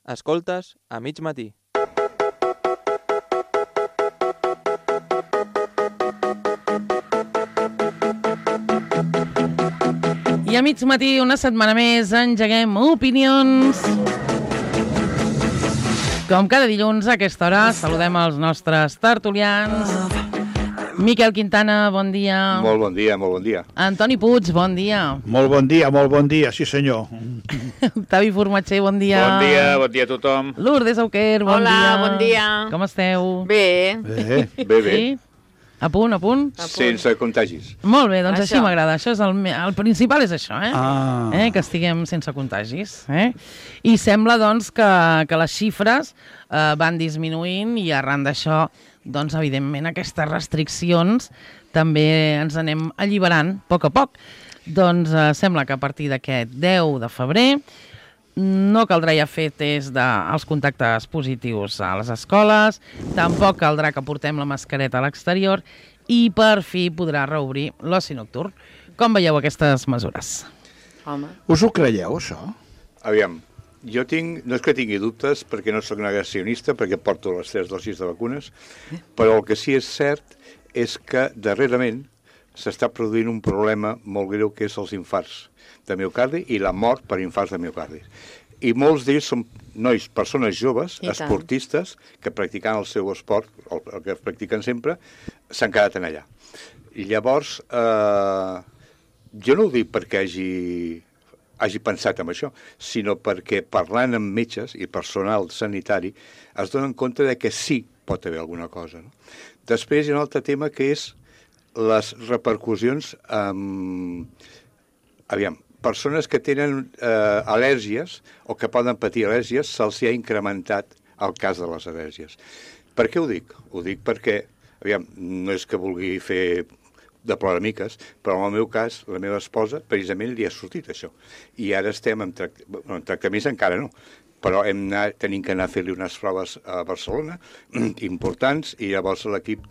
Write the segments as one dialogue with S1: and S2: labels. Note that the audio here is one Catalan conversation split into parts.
S1: Escoltes a mig matí.
S2: I a mig matí, una setmana més, engeguem opinions. Com cada dilluns a aquesta hora, saludem els nostres tertulians. Miquel Quintana, bon dia.
S3: Molt bon dia, molt bon dia.
S2: Antoni Puig, bon dia.
S4: Molt bon dia, sí senyor.
S2: Octavi Formatger, bon dia.
S3: Bon dia a tothom.
S2: Lourdes Auquer, bon dia.
S5: Hola, bon dia.
S2: Com esteu?
S5: Bé.
S3: Bé.
S2: Sí? A punt?
S3: Sense contagis.
S2: Molt bé, doncs
S5: Això.
S2: així m'agrada. Això és el principal és això, que estiguem sense contagis. I sembla, doncs, que les xifres van disminuint i arran d'això, doncs, evidentment, aquestes restriccions també ens anem alliberant a poc. Doncs sembla que a partir d'aquest 10 de febrer no caldrà ja fer test dels contactes positius a les escoles, tampoc caldrà que portem la mascareta a l'exterior i per fi podrà reobrir l'oci nocturn. Com veieu aquestes mesures?
S5: Home.
S4: Us ho creieu, això?
S3: Aviam, jo no és que tingui dubtes perquè no sóc negacionista, perquè porto les 3 dosis de vacunes, però el que sí és cert és que darrerament s'està produint un problema molt greu que és els infarts de miocardi i la mort per infarts de miocardi. I molts d'ells són persones joves, esportistes, que practicant el seu esport, el que practiquen sempre, s'han quedat en allà. I llavors, jo no ho dic perquè hagi pensat en això, sinó perquè parlant amb metges i personal sanitari es donen compte de que sí pot haver alguna cosa. No? Després hi ha un altre tema que és les repercussions aviam, persones que tenen al·lèrgies o que poden patir al·lèrgies, se'ls ha incrementat el cas de les al·lèrgies. Per què ho dic? Ho dic perquè, aviam, no és que vulgui fer de ploramiques, però en el meu cas, la meva esposa, precisament li ha sortit això. I ara estem en tractaments encara no, però tenim que anar a fer-li unes proves a Barcelona, importants, i llavors l'equip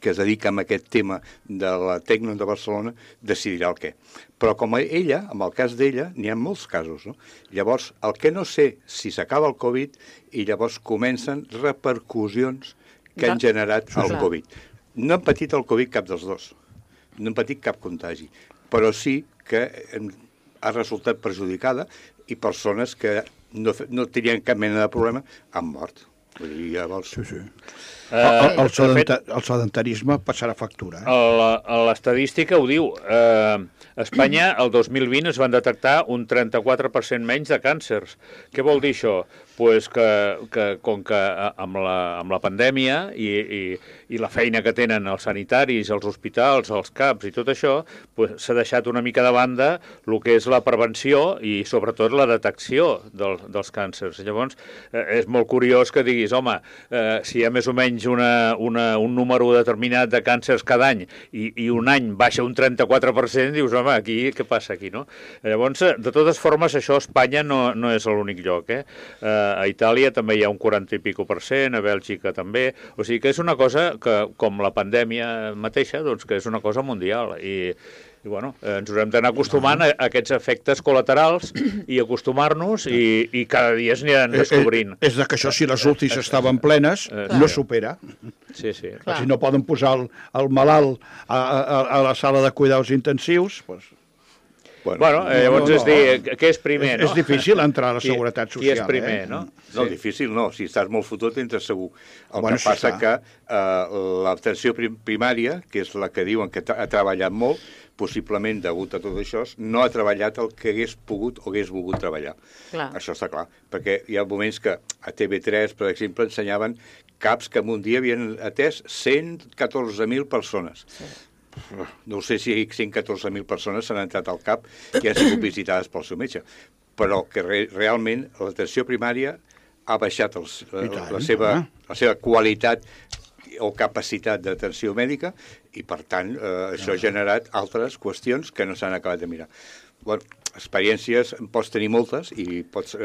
S3: que es dedica a aquest tema de la Tecno de Barcelona decidirà el què. Però com ella, en el cas d'ella, n'hi ha molts casos, no? Llavors, el que no sé si s'acaba el Covid i llavors comencen repercussions que han generat el Covid. No han patit el Covid cap dels dos, no han patit cap contagi, però sí que ha resultat perjudicada i persones que no tenien cap mena de problema han mort. Vull dir, llavors...
S4: Sí. El sedentarisme passarà factura.
S6: L'estadística ho diu. A Espanya, el 2020, es van detectar un 34% menys de càncers. Què vol dir això? Pues que com que amb la pandèmia i la feina que tenen els sanitaris, els hospitals, els CAPs i tot això, s'ha deixat una mica de banda el que és la prevenció i sobretot la detecció dels càncers. Llavors, és molt curiós que diguis, home, si hi ha més o menys un número determinat de càncers cada any i un any baixa un 34%, dius, home, aquí què passa aquí, no? Llavors, de totes formes, això a Espanya no és l'únic lloc, A Itàlia també hi ha un 40 i pico %, a Bèlgica també, o sigui que és una cosa que, com la pandèmia mateixa, doncs que és una cosa mundial i bueno, ens haurem d'anar acostumant a aquests efectes col·laterals i acostumar-nos i cada dia es aniran descobrint.
S4: És que això, si les UCIs estaven plenes, no supera.
S6: Sí.
S4: Si no poden posar el malalt a la sala de cuidados intensius, doncs...
S6: Bueno, llavors és dir, què és primer, no?
S4: És difícil entrar a la seguretat social.
S6: Qui és primer, no?
S3: No, difícil no. Si estàs molt fotut, entres segur. El que passa que l'atenció primària, que és la que diuen que ha treballat molt, possiblement degut a tot això, no ha treballat el que hagués pogut o hagués volgut treballar.
S5: Clar.
S3: Això està clar. Perquè hi ha moments que a TV3, per exemple, ensenyaven CAPs que en un dia havien atès 114.000 persones. Sí. No sé si 114.000 persones s'han entrat al CAP i han sigut visitades pel seu metge, però que realment l'atenció primària ha baixat la seva qualitat o capacitat d'atenció mèdica i, per tant, això ha generat altres qüestions que no s'han acabat de mirar. Bueno, experiències en pots tenir moltes i pots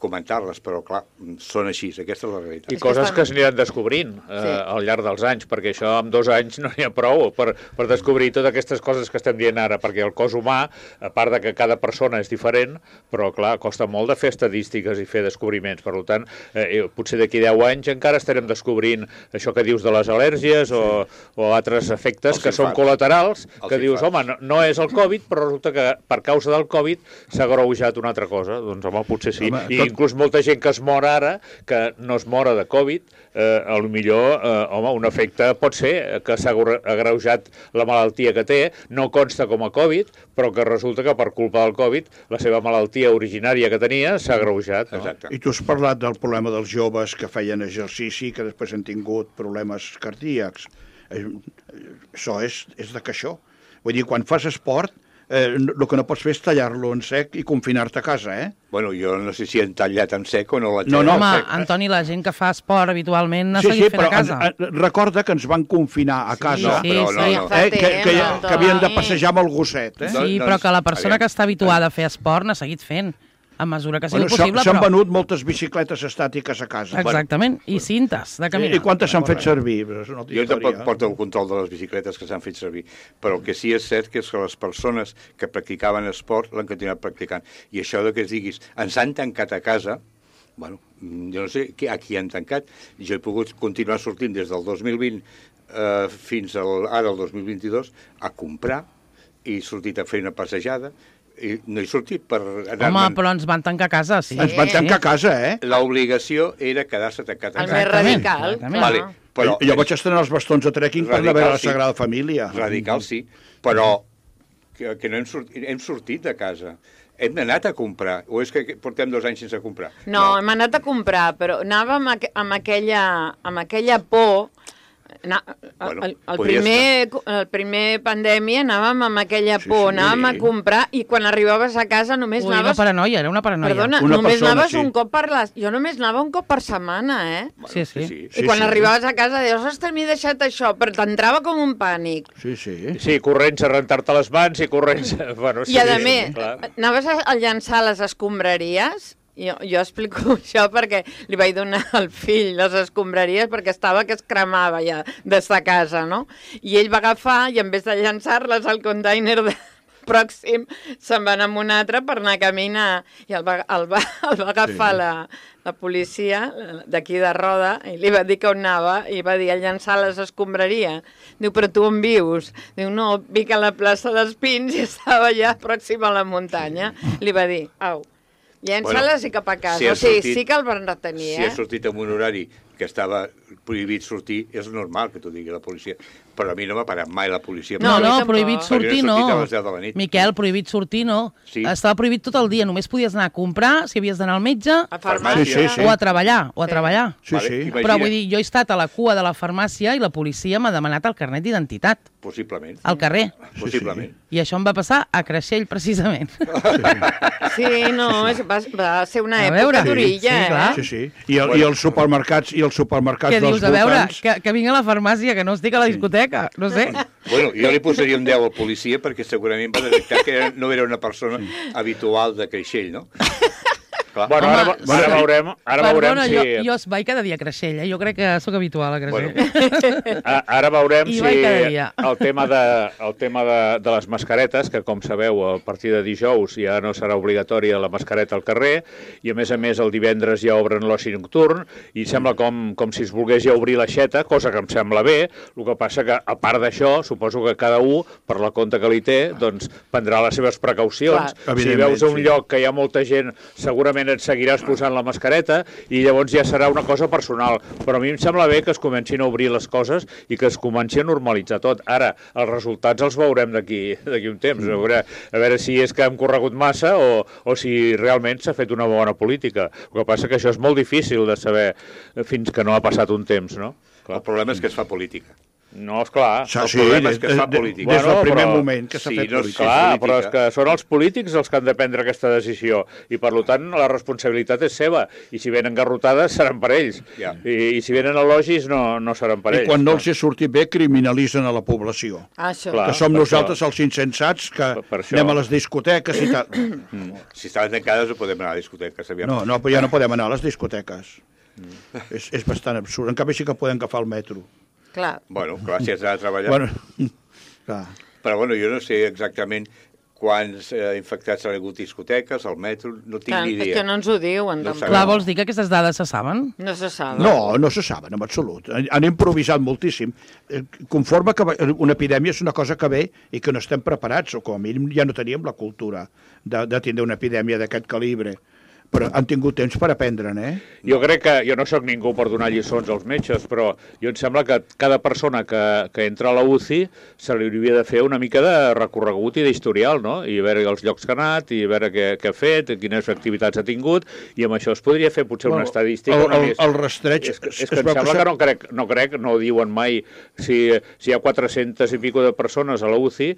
S3: comentar-les, però clar, són així, aquesta és la realitat.
S6: I coses que s'aniran descobrint al llarg dels anys, perquè això en 2 anys no n'hi ha prou per descobrir totes aquestes coses que estem dient ara, perquè el cos humà, a part de que cada persona és diferent, però clar, costa molt de fer estadístiques i fer descobriments, per tant, potser d'aquí 10 anys encara estarem descobrint això que dius de les al·lèrgies o altres efectes que són col·laterals, que dius, home, no és el Covid, però resulta que per causa del Covid s'ha agreujat una altra cosa. Doncs home, potser sí. I inclús molta gent que es mor ara, que no es mora de Covid, potser, home, un efecte pot ser que s'ha agreujat la malaltia que té, no consta com a Covid, però que resulta que per culpa del Covid la seva malaltia originària que tenia s'ha agreujat. No?
S3: Exacte.
S4: I tu has parlat del problema dels joves que feien exercici, que després han tingut problemes cardíacs. Això és de caixó. Vull dir, quan fas esport, el que no pots fer és tallar-lo en sec i confinar-te a casa,
S3: Bueno, jo no sé si han tallat en sec o no l'han
S4: No,
S3: tallat
S2: Home,
S3: en sec.
S2: Però la gent que fa esport habitualment ha seguit fent a casa.
S4: Recorda que ens van confinar a casa,
S2: sí,
S4: que havien de passejar amb el gosset.
S2: Sí, però que la persona que està habituada a fer esport n'ha seguit fent. A mesura que ha sigut possible,
S4: s'han venut moltes bicicletes estàtiques a casa.
S2: Exactament, i cintes de caminar.
S4: I quantes s'han fet servir?
S3: Jo tampoc porto el control de les bicicletes que s'han fet servir, però el que sí és cert que és que les persones que practicaven esport l'han continuat practicant. I això de que es diguis, ens han tancat a casa, bueno, jo no sé a qui han tancat. Jo he pogut continuar sortint des del 2020 fins ara, el 2022, a comprar, i he sortit a fer una passejada, i no he sortit per anar...
S2: Home, però ens van tancar a casa, sí.
S4: Ens van tancar a casa,
S3: L'obligació era quedar-se tancat a casa.
S5: El més radical.
S3: Vale, però
S4: jo vaig estrenar els bastons de trekking per anar a veure la Sagrada Família.
S3: Radical, sí, però que no hem sortit de casa. Hem anat a comprar, o és que portem 2 anys sense comprar?
S5: No, hem anat a comprar, però anàvem amb aquella por. El primer pandèmia anàvem amb aquella por, anàvem a comprar i quan arribaves a casa només anaves...
S2: Una paranoia, era una paranoia.
S5: Perdona, només anaves un cop per Jo només anava un cop per setmana,
S2: Sí.
S5: I quan arribaves a casa deies, ostres, m'he deixat això, però t'entrava com un pànic.
S6: Sí, corrents a rentar-te les mans i corrents...
S5: I a més, anaves a llançar les escombraries. Jo explico això perquè li vaig donar al fill les escombraries perquè estava que es cremava ja des de casa, no? I ell va agafar i en vez de llançar-les al container pròxim se'n va anar amb un altre per anar a caminar i el va agafar la policia d'aquí de Roda i li va dir que on anava i va dir a llançar les escombraries. Diu, però tu on vius? Diu, no, vic a la plaça dels Pins i estava ja pròxim a la muntanya. Li va dir, au, llença-les i cap a casa. Sí que el van retenir,
S3: Si ha sortit en un horari que estava prohibit sortir, és normal que t'ho digui la policia. Però a mi no m'ha parat mai la policia.
S2: No, prohibit sortir no.
S3: A les 10 de la nit.
S2: Miquel, prohibit sortir no.
S3: Sí.
S2: Estava prohibit tot el dia. Només podies anar a comprar, si havies d'anar al metge,
S5: a farmàcia.
S2: o a treballar.
S4: Sí.
S2: Però vull dir, jo he estat a la cua de la farmàcia i la policia m'ha demanat el carnet d'identitat.
S3: Possiblement.
S2: Al carrer.
S3: Possiblement.
S2: I això em va passar a Creixell, precisament.
S5: Sí, no, va ser una època d'orilla,
S4: Sí. I els supermercats
S2: Què
S4: dels
S2: dius? A veure,
S4: voltants...
S2: que vinc a la farmàcia, que no estic a la discoteca, no sé.
S3: Bueno, jo li posaria un 10 al policia perquè segurament va detectar que no era una persona habitual de Creixell, no?
S6: Bueno, ara veurem si...
S2: Jo vaig cada dia a Creixell, Jo crec que sóc habitual a Creixell.
S6: Bueno, ara veurem si el tema de les mascaretes, que com sabeu, a partir de dijous ja no serà obligatòria la mascareta al carrer, i a més el divendres ja obren l'oci nocturn, i sembla com si es volgués ja obrir l'aixeta, cosa que em sembla bé. El que passa que, a part d'això, suposo que cada un, per la compte que li té, doncs prendrà les seves precaucions. Si veus un lloc que hi ha molta gent, segurament et seguiràs posant la mascareta i llavors ja serà una cosa personal. Però a mi em sembla bé que es comencin a obrir les coses i que es comenci a normalitzar tot. Ara, els resultats els veurem d'aquí un temps. A veure si és que hem corregut massa o si realment s'ha fet una bona política. El que passa que això és molt difícil de saber fins que no ha passat un temps, no?
S3: El problema és que es fa política.
S6: No, esclar.
S3: El problema és que es fa política.
S4: Des del primer moment que s'ha fet política.
S6: Clar, però és que són els polítics els que han de prendre aquesta decisió i, per tant, la responsabilitat és seva. I si venen garrotades, seran per ells. I si venen elogis, no seran per ells.
S4: I quan no els hi surti bé, criminalitzen a la població.
S5: Això.
S6: Clar,
S4: que som nosaltres els insensats que anem a les discoteques i tal.
S3: Si estaven tancades no podem anar a discoteques.
S4: No, però ja no podem anar a les discoteques. És bastant absurd. En canvi sí que podem agafar el metro.
S5: Clar.
S3: Bueno, clar, si has d'anar a treballar.
S4: Bueno, clar.
S3: Però bueno, jo no sé exactament quants infectats han hagut discoteques, al metro, no tinc ni idea.
S5: És que no ens ho diuen.
S3: No
S2: Clar, vols dir que aquestes dades se saben?
S5: No se saben.
S4: No se saben, en absolut. Han improvisat moltíssim. Conforme que una epidèmia és una cosa que ve i que no estem preparats, o com a mínim ja no teníem la cultura de tindre una epidèmia d'aquest calibre. Però han tingut temps per aprendre'n,
S6: Jo crec que, jo no sóc ningú per donar lliçons als metges, però jo em sembla que cada persona que entra a la UCI se li hauria de fer una mica de recorregut i d'historial, no? I veure els llocs que ha anat, i veure què ha fet, quines activitats ha tingut, i amb això es podria fer potser una estadística.
S4: El rastreig...
S6: És que em sembla que no crec, no ho diuen mai, si hi ha 400 i pico de persones a la UCI,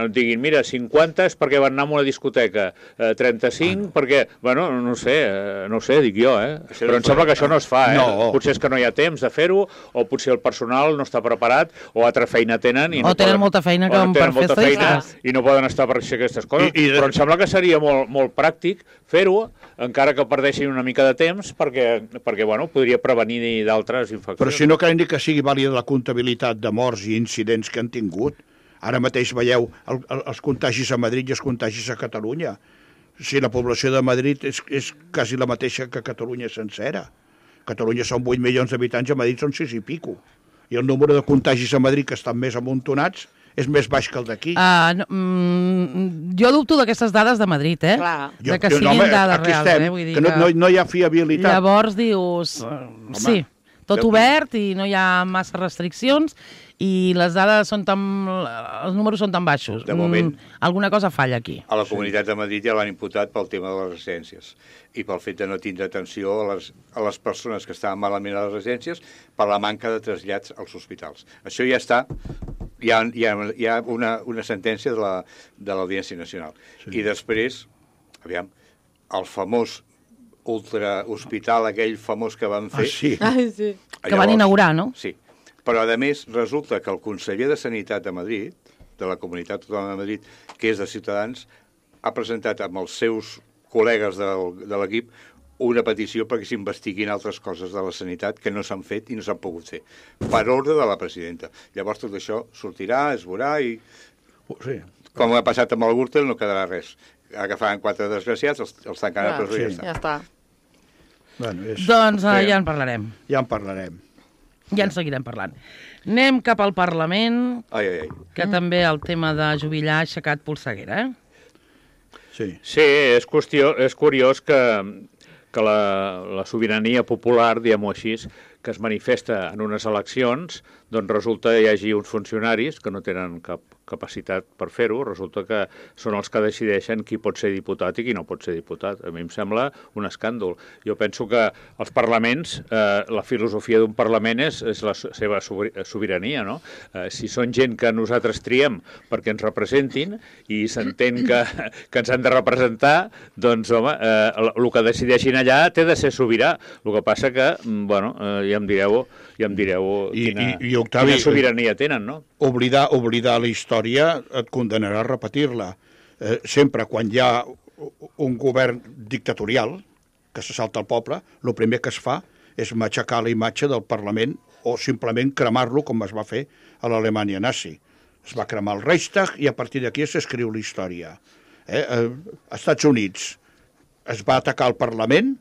S6: diguin, mira, 50 és perquè van anar a una discoteca, 35 perquè, bueno, no sé, dic jo, però em sembla que això no es fa,
S4: No.
S6: Potser és que no hi ha temps de fer-ho, o potser el personal no està preparat, o altra feina tenen...
S2: O tenen molta feina per fer estadístiques.
S6: I no poden estar per fer aquestes coses. Però em sembla que seria molt pràctic fer-ho, encara que perdessin una mica de temps, perquè bueno, podria prevenir d'altres infeccions.
S4: Però si no creiem que sigui vàlida la comptabilitat de morts i incidents que han tingut. Ara mateix veieu els contagis a Madrid i els contagis a Catalunya. Si la població de Madrid és quasi la mateixa que Catalunya sencera. Catalunya són 8 milions d'habitants, a Madrid són 6 i pico. I el número de contagis a Madrid, que estan més amuntonats, és més baix que el d'aquí.
S2: Jo dubto d'aquestes dades de Madrid,
S5: Clar.
S2: De que siguin dades reals, vull dir
S4: que no hi ha fiabilitat.
S2: Llavors dius, sí, tot obert i no hi ha massa restriccions, i les dades els números són tan baixos.
S3: De moment,
S2: alguna cosa falla aquí.
S3: a la Comunitat de Madrid ja l'han imputat pel tema de les residències i pel fet de no tindre atenció a les persones que estaven malament a les residències per la manca de trasllats als hospitals. Això ja està, hi ha una sentència de l'Audiència Nacional. Sí. I després, aviam, el famós ultrahospital, aquell famós que van fer...
S4: Sí.
S5: Sí.
S2: Que van inaugurar, no?
S3: Sí. Però, a més, resulta que el conseller de Sanitat de Madrid, de la Comunitat Autònoma de Madrid, que és de Ciutadans, ha presentat amb els seus col·legues de l'equip una petició perquè s'investiguin altres coses de la sanitat que no s'han fet i no s'han pogut fer, per ordre de la presidenta. Llavors tot això sortirà, es veurà i...
S4: Sí.
S3: Com ha passat amb el Gürtel, no quedarà res. Agafaran 4 desgraciats, els tancaran a presó i ja està.
S4: Bueno,
S2: Doncs ja en parlarem.
S4: Ja en parlarem.
S2: Ja en seguirem parlant. Anem cap al Parlament, que també el tema de jubilar ha aixecat polseguera,
S4: Sí,
S6: és curiós que la sobirania popular, diguem-ho així, que es manifesta en unes eleccions, doncs resulta que hi hagi uns funcionaris que no tenen cap capacitat per fer-ho, resulta que són els que decideixen qui pot ser diputat i qui no pot ser diputat. A mi em sembla un escàndol. Jo penso que els parlaments, la filosofia d'un parlament és la seva sobirania, no? Si són gent que nosaltres triem perquè ens representin i s'entén que ens han de representar, doncs, home, el que decideixin allà té de ser sobirà. El que passa que, bueno, ja em direu quina sobirania tenen, no?
S4: Oblidar la història et condenarà a repetir-la. Sempre quan hi ha un govern dictatorial que se salta al poble, el primer que es fa és matxacar la imatge del Parlament o simplement cremar-lo com es va fer a l'Alemanya nazi. Es va cremar el Reichstag i a partir d'aquí s'escriu la història. Als Estats Units es va atacar el Parlament,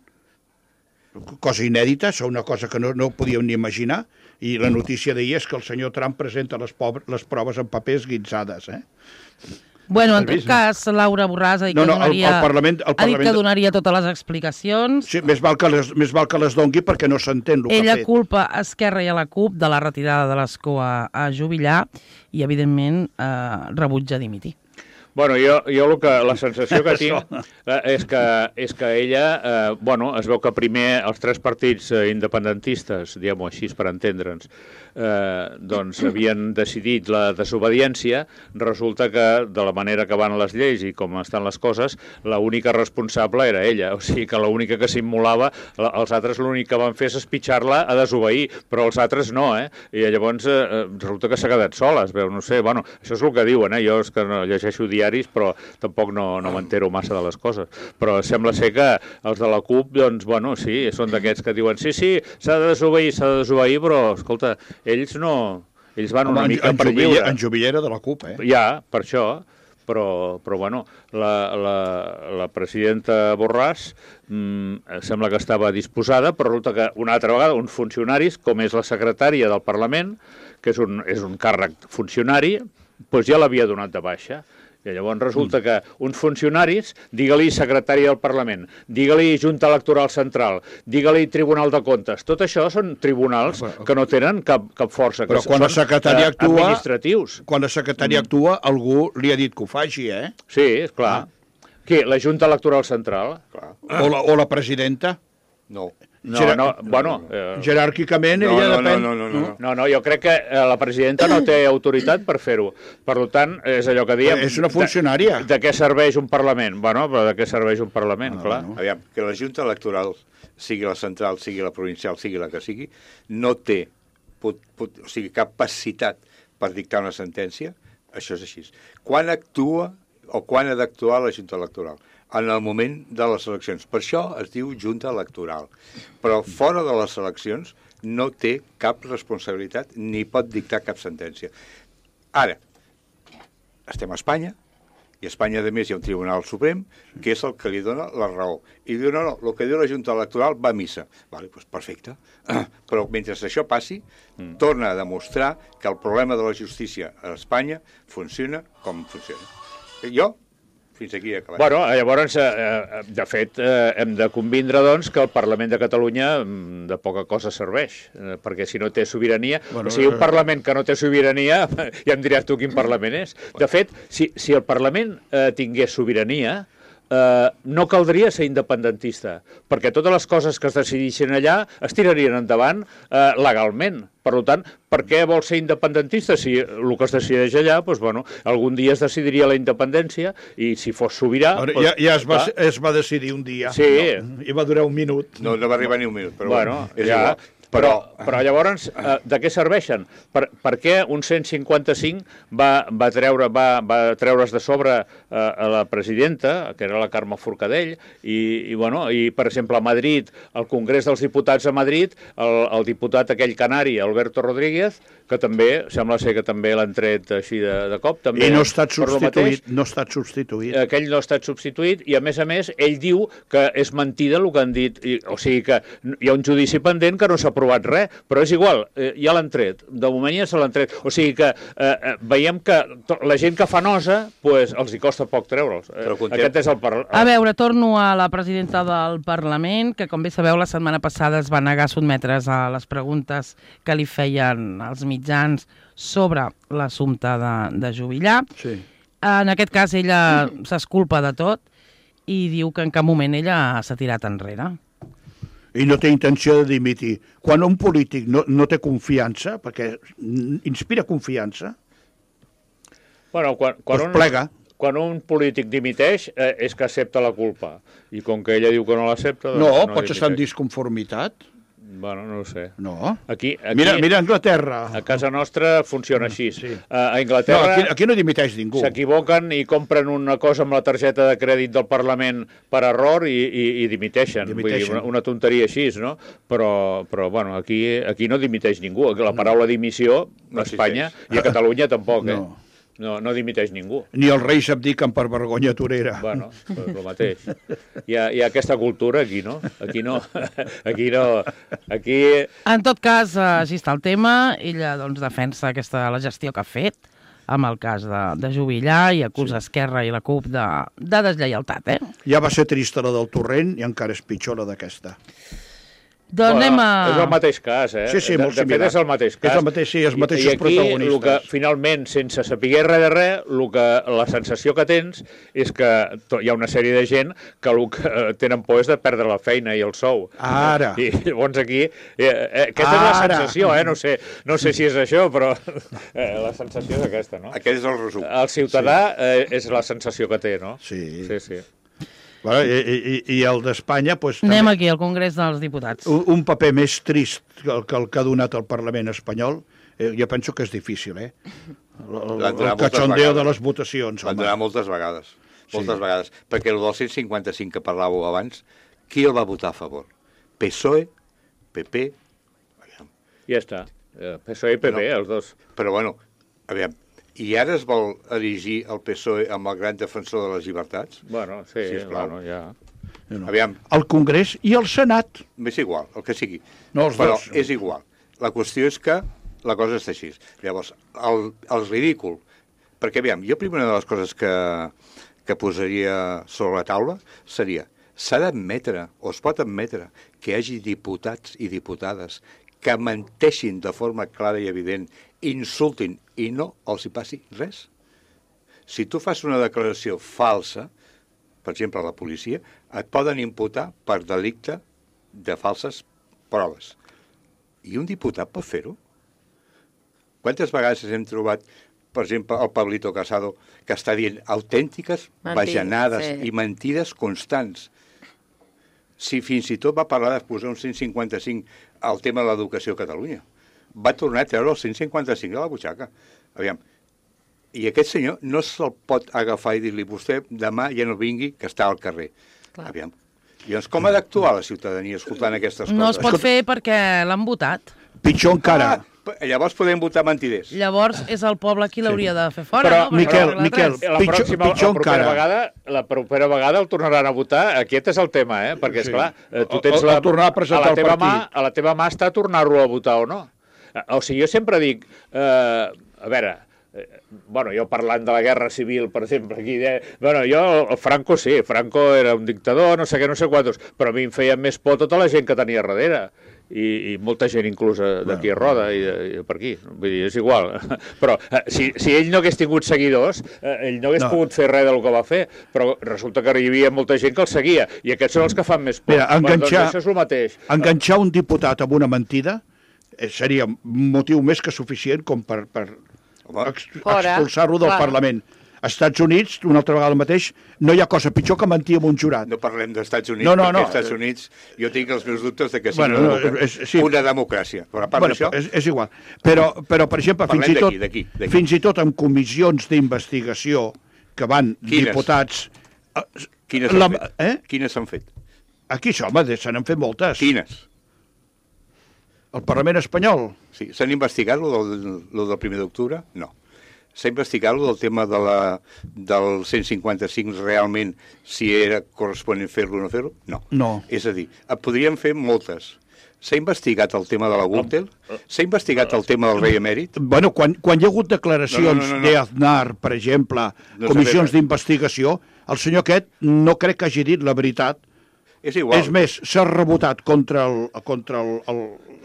S4: cosa inèdita, és una cosa que no podíem ni imaginar, i la notícia d'ahir és que el senyor Trump presenta les proves en papers guitzades.
S2: Bueno, en tot cas, Laura Borràs ha dit que donaria totes les explicacions.
S4: Sí, més val que les dongui perquè no s'entén el que ha fet.
S2: Ella culpa a Esquerra i a la CUP de la retirada de l'escó a jubilar i, evidentment, rebutja dimitir.
S6: Bueno, la sensació que tinc és que ella, es veu que primer els tres partits independentistes, diguem-ho així per entendre'ns, doncs havien decidit la desobediència. Resulta que de la manera que van les lleis i com estan les coses, l'única responsable era ella, o sigui que l'única que s'immolava, els altres l'únic que van fer és espitxar-la a desobeir, però els altres no, i llavors resulta que s'ha quedat sola, es veu, no sé, bueno, això és el que diuen, jo és que no llegeixo diaris, però tampoc no m'entero massa de les coses, però sembla ser que els de la CUP, doncs, bueno, sí, són d'aquests que diuen, sí, s'ha de desobeir, però, escolta, ells van una mica per lliure.
S4: En Jubillera de la CUP,
S6: Ja, per això, però bueno, la presidenta Borràs sembla que estava disposada, però resulta que una altra vegada uns funcionaris, com és la secretària del Parlament, que és un càrrec funcionari, doncs ja l'havia donat de baixa. I llavors resulta que uns funcionaris, digue-li secretari del Parlament, digue-li Junta Electoral Central, digue-li Tribunal de Comptes, tot això són tribunals que no tenen cap força,
S4: però quan la secretària actua,
S6: administratius.
S4: Quan la secretària actua, algú li ha dit que ho faci,
S6: Sí, és clar. Què, la Junta Electoral Central?
S4: O la presidenta?
S3: No.
S4: Jeràrquicament ella depèn...
S6: No, jo crec que la presidenta no té autoritat per fer-ho. Per tant, és allò que diem...
S4: És una funcionària.
S6: De què serveix un Parlament? Bueno, però de què serveix un Parlament, clar.
S3: Aviam, que la Junta Electoral, sigui la central, sigui la provincial, sigui la que sigui, no té capacitat per dictar una sentència, això és així. Quan actua o quan ha d'actuar la Junta Electoral? En el moment de les eleccions. Per això es diu Junta Electoral. Però fora de les eleccions no té cap responsabilitat ni pot dictar cap sentència. Ara, estem a Espanya, i a Espanya, a més, hi ha un Tribunal Suprem que és el que li dona la raó. I diu, no, el que diu la Junta Electoral va a missa. Vale, doncs perfecte. Però mentre això passi, torna a demostrar que el problema de la justícia a Espanya funciona com funciona. Fins aquí he acabat.
S6: Bueno, llavors, de fet, hem de convindre, doncs, que el Parlament de Catalunya de poca cosa serveix, perquè si no té sobirania... O sigui, un Parlament que no té sobirania, ja em diràs tu quin Parlament és. De fet, si el Parlament tingués sobirania, no caldria ser independentista, perquè totes les coses que es decidissin allà es tirarien endavant legalment. Per tant, per què vol ser independentista? Si el que es decideix allà, doncs, bueno, algun dia es decidiria la independència i si fos sobirà...
S4: Ja es va decidir un dia.
S6: Sí.
S4: I va durar un minut.
S3: No va arribar ni un minut, però
S6: bueno, és igual. Però llavors, de què serveixen? Per què un 155 va treure's de sobre a la presidenta, que era la Carme Forcadell, i per exemple, a Madrid, al Congrés dels Diputats a Madrid, el diputat aquell canari, Alberto Rodríguez, que també, sembla ser que també l'han tret així de cop. També,
S4: I no ha estat substituït.
S6: Aquell no ha estat substituït, i a més, ell diu que és mentida el que han dit, o sigui que hi ha un judici pendent que no s'ha aprovat res, però és igual, ja l'han tret, de moment ja se l'han tret, o sigui que veiem que la gent que fa nosa, pues, els hi costa poc treure'ls. Aquest és el Parlament.
S2: A veure, torno a la presidenta del Parlament, que com bé sabeu la setmana passada es va negar a sotmetre's a les preguntes que li feien els mitjans sobre l'assumpte de Juvillà.
S4: Sí.
S2: En aquest cas ella s'exculpa de tot i diu que en cap moment ella s'ha tirat enrere.
S4: I no té intenció de dimitir. Quan un polític no té confiança, perquè inspira confiança,
S6: doncs
S4: plega.
S6: Quan un polític dimiteix és que accepta la culpa. I com que ella diu que no l'accepta...
S4: No, pots estar en disconformitat.
S6: Bueno, no ho sé.
S4: No.
S6: Aquí,
S4: mira Anglaterra.
S6: A casa nostra funciona així.
S4: Sí.
S6: A Anglaterra...
S4: No, aquí no dimiteix ningú.
S6: S'equivoquen i compren una cosa amb la targeta de crèdit del Parlament per error i dimiteixen. Vull dir, una tonteria així, no? Però bueno, aquí no dimiteix ningú. La paraula dimissió a Espanya i a Catalunya tampoc, No dimiteix ningú.
S4: Ni els reis abdiquen per vergonya torera.
S6: Bueno, el mateix. Hi ha aquesta cultura aquí, no? Aquí no. Aquí...
S2: En tot cas, així està el tema. Ella doncs, defensa la gestió que ha fet amb el cas de Juvillà i acusa Esquerra i la CUP de deslleialtat,
S4: Ja va ser trista la del Torrent i encara és pitjor la d'aquesta.
S2: Doncs anem a...
S6: És el mateix cas, eh?
S4: Sí, molt
S6: de fet, és el mateix cas.
S4: És el mateix, sí, els mateixos protagonistes.
S6: I aquí, que, finalment, sense saber res de res, la sensació que tens és que hi ha una sèrie de gent que el que tenen por és de perdre la feina i el sou.
S4: Ara.
S6: I llavors aquí... aquesta és la sensació, no sé si és això, però la sensació és aquesta, no?
S3: Aquest és el resum.
S6: El ciutadà és la sensació que té, no?
S4: Sí.
S6: Sí.
S4: Bueno, i el d'Espanya... Pues,
S2: anem aquí, al Congrés dels Diputats.
S4: Un paper més trist que el que ha donat el Parlament espanyol, jo penso que és difícil, el cachondeo de les votacions.
S3: Van donar moltes vegades. Moltes vegades. Perquè el del 155 que parlàveu abans, qui el va votar a favor? PSOE, PP...
S6: Ja està. PSOE i PP, els dos.
S3: Però bueno, aviam, i ara es vol erigir el PSOE amb el gran defensor de les llibertats?
S6: Bueno, sí, bueno, ja...
S3: Aviam.
S4: El Congrés i el Senat.
S3: És igual, el que sigui.
S4: No, els
S3: però
S4: dos.
S3: És igual. La qüestió és que la cosa està així. Llavors, el ridícul... Perquè, aviam, jo primera de les coses que posaria sobre la taula seria s'ha d'admetre, o es pot admetre, que hi hagi diputats i diputades que menteixin de forma clara i evident, insultin i no els hi passi res. Si tu fas una declaració falsa, per exemple, a la policia, et poden imputar per delicte de falses proves. I un diputat pot fer-ho? Quantes vegades hem trobat, per exemple, el Pablito Casado, que està dient autèntiques bajanades i mentides constants? Si fins i tot va parlar de posar un 155 al tema de l'educació a Catalunya. Va tornar a treure el 155 de la butxaca. Aviam, i aquest senyor no se'l pot agafar i dir-li vostè demà ja no vingui, que està al carrer. Clar. Aviam. Llavors, com ha d'actuar la ciutadania escoltant aquestes coses?
S2: No es pot fer perquè l'han votat.
S4: Pitjor encara.
S3: Llavors podem votar mentiders.
S2: Llavors és el poble qui l'hauria de fer fora,
S4: però,
S2: no?
S4: Miquel,
S6: la propera vegada el tornaran a votar. Aquest és el tema, perquè, esclar, tu tens
S4: tornar a presentar el partit.
S6: A la teva mà està tornar-lo a votar o no. O sigui, jo sempre dic, a veure, bueno, jo parlant de la guerra civil, per exemple, aquí, jo, Franco sí, Franco era un dictador, no sé què, no sé quantos, però a mi em feia més por tota la gent que tenia darrere. I molta gent inclús d'aquí a Roda i per aquí, vull dir, és igual. Però si ell no hagués tingut seguidors, ell no hagués pogut fer res del que va fer, però resulta que hi havia molta gent que el seguia, i aquests són els que fan més por.
S4: Mira,
S6: doncs això és el mateix.
S4: Enganxar un diputat amb una mentida seria motiu més que suficient com per expulsar-lo del Parlament. Als Estats Units, una altra vegada el mateix, no hi ha cosa pitjor que mentir amb un jurat.
S3: No parlem dels Estats Units, perquè als Estats Units jo tinc els meus dubtes de que sigui una democràcia. Però a part d'això...
S4: És igual. Però, per exemple, fins i tot en comissions d'investigació que van diputats...
S3: Quines s'han fet?
S4: Aquí, home, se n'han fet moltes.
S3: Quines?
S4: El Parlament espanyol?
S3: Sí, s'han investigat lo del 1 d'octubre? No. S'ha investigat del tema del 155 realment, si era corresponent fer-lo o no fer-lo? No. És a dir, podríem fer moltes. S'ha investigat el tema de la Gürtel? S'ha investigat el tema del rei emèrit?
S4: Bueno, quan hi ha hagut declaracions d'Aznar, per exemple, comissions d'investigació, el senyor aquest no crec que hagi dit la veritat.
S3: És igual.
S4: És més, s'ha rebotat contra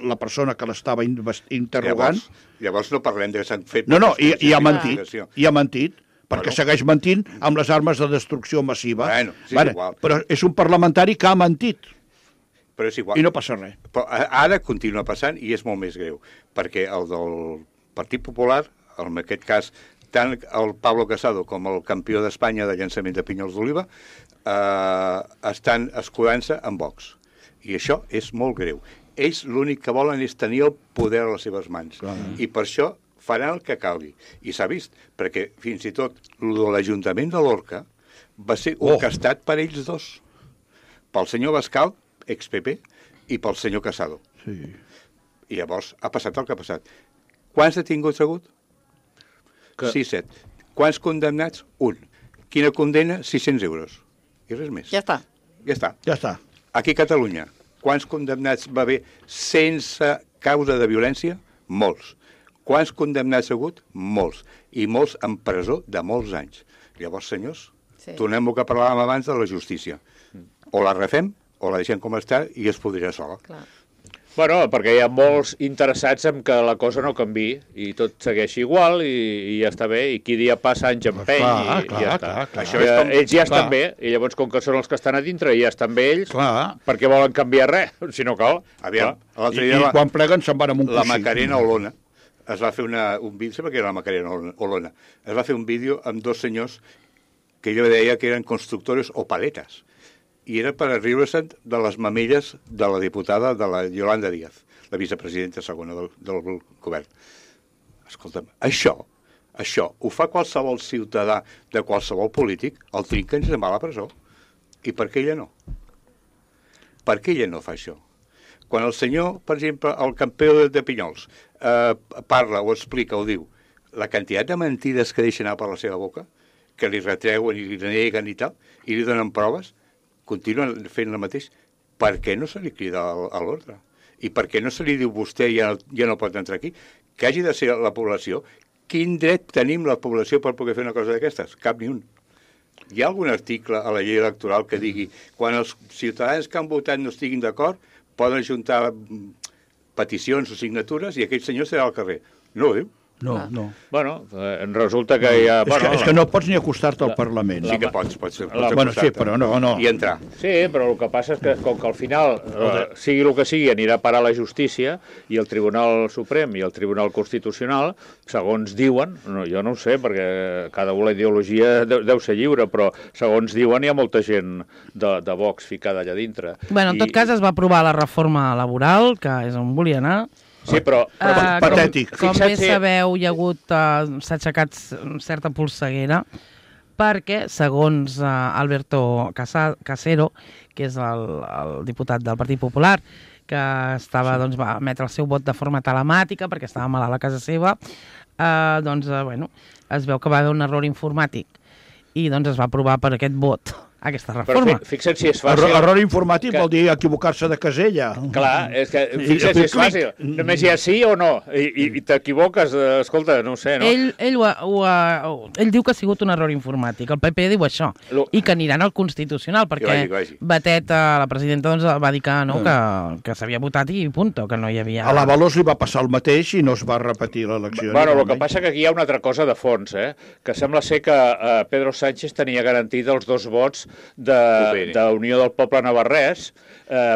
S4: la persona que l'estava interrogant.
S3: Llavors no parlem de que s'han fet...
S4: No, i ha mentit, perquè segueix mentint amb les armes de destrucció massiva.
S3: Bueno, sí, igual.
S4: Però és un parlamentari que ha mentit.
S3: Però és igual.
S4: I no passa res.
S3: Però ara continua passant i és molt més greu, perquè el del Partit Popular, en aquest cas, tant el Pablo Casado com el campió d'Espanya de llançament de pinyols d'oliva estan escudant-se en Vox. I això és molt greu. Ells l'únic que volen és tenir el poder a les seves mans. I per això faran el que calgui. I s'ha vist, perquè fins i tot l'Ajuntament de Lorca va ser orquestat per ells dos. Pel senyor Bascal, ex-PP, i pel senyor Casado.
S4: Sí.
S3: I llavors ha passat el que ha passat. Quants detinguts ha hagut? 6-7. Quants condemnats? 1. Quina condena? 600 euros. I res més.
S5: Ja està.
S3: Aquí a Catalunya, quants condemnats va haver sense causa de violència? Molts. Quants condemnats ha hagut? Molts. I molts en presó de molts anys. Llavors, senyors, tornem al que parlàvem abans de la justícia. O la refem, o la deixem com està i es podria sola.
S5: Clar.
S6: Bueno, perquè hi ha molts interessats en que la cosa no canvi i tot segueixi igual i ja està bé, i qui dia passa anys empeny i ja està.
S4: Això
S6: és com, ells ja estan bé, i llavors com que són els que estan a dintre i ja estan bé ells, per què volen canviar res, si no cal?
S3: Aviam,
S4: I quan pleguen se'n van amb un
S3: la
S4: coixí.
S3: Macarena Olona es va fer un vídeo, sembla que era la Macarena Olona, es va fer un vídeo amb dos senyors que jo deia que eren constructores o paletes, i era per riure-se'n de les mamelles de la diputada de la Yolanda Díaz, la vicepresidenta segona del govern. Escolta'm, això ho fa qualsevol ciutadà de qualsevol polític, el trinquen i se'n va a la presó. I per què ella no? Per què ella no fa això? Quan el senyor, per exemple, el campió de Pinyols, parla o explica o diu la quantitat de mentides que deixen anar per la seva boca, que li retreuen i li neguen i tal, i li donen proves, continuen fent el mateix, per què no se li crida a l'ordre? I per què no se li diu vostè ja no pot entrar aquí? Que hagi de ser la població. Quin dret tenim la població per poder fer una cosa d'aquestes? Cap ni un. Hi ha algun article a la llei electoral que digui quan els ciutadans que han votat no estiguin d'acord poden ajuntar peticions o signatures i aquell senyor serà al carrer? No ho diu.
S4: No.
S6: Bueno, resulta que hi ha...
S4: És que no pots ni acostar-te al Parlament.
S3: Sí que pots
S4: bueno, sí, però no.
S3: I entrar.
S6: Sí, però el que passa és que, com que al final, sigui el que sigui, anirà a parar la justícia i el Tribunal Suprem i el Tribunal Constitucional, segons diuen, jo no ho sé, perquè cada una ideologia deu ser lliure, però segons diuen hi ha molta gent de Vox ficada allà dintre.
S2: Bueno, en tot cas es va aprovar la reforma laboral, que és on volia anar.
S6: Sí, però
S4: patètic.
S2: Com bé sabeu, s'ha aixecat certa polseguera perquè, segons Alberto Casero, que és el diputat del Partit Popular, que va emetre el seu vot de forma telemàtica perquè estava malalt a casa seva, es veu que va haver un error informàtic i es va aprovar per aquest vot aquesta reforma.
S6: Però fixa't si és fàcil...
S4: Error informàtic vol dir equivocar-se de casella.
S6: Clar, és que fixa't si és fàcil. Només hi ha sí o no. I t'equivoques, escolta, no ho sé, no?
S2: Ell diu que ha sigut un error informàtic. El PP diu això. I que aniran al Constitucional, perquè Batet, la presidenta, va dir que s'havia votat i punto, que no hi havia...
S4: A l'Avalos li va passar el mateix i no es va repetir l'elecció.
S6: Bueno, el que passa que aquí hi ha una altra cosa de fons, que sembla ser que Pedro Sánchez tenia garantit els 2 vots de Unió del Poble Navarrès,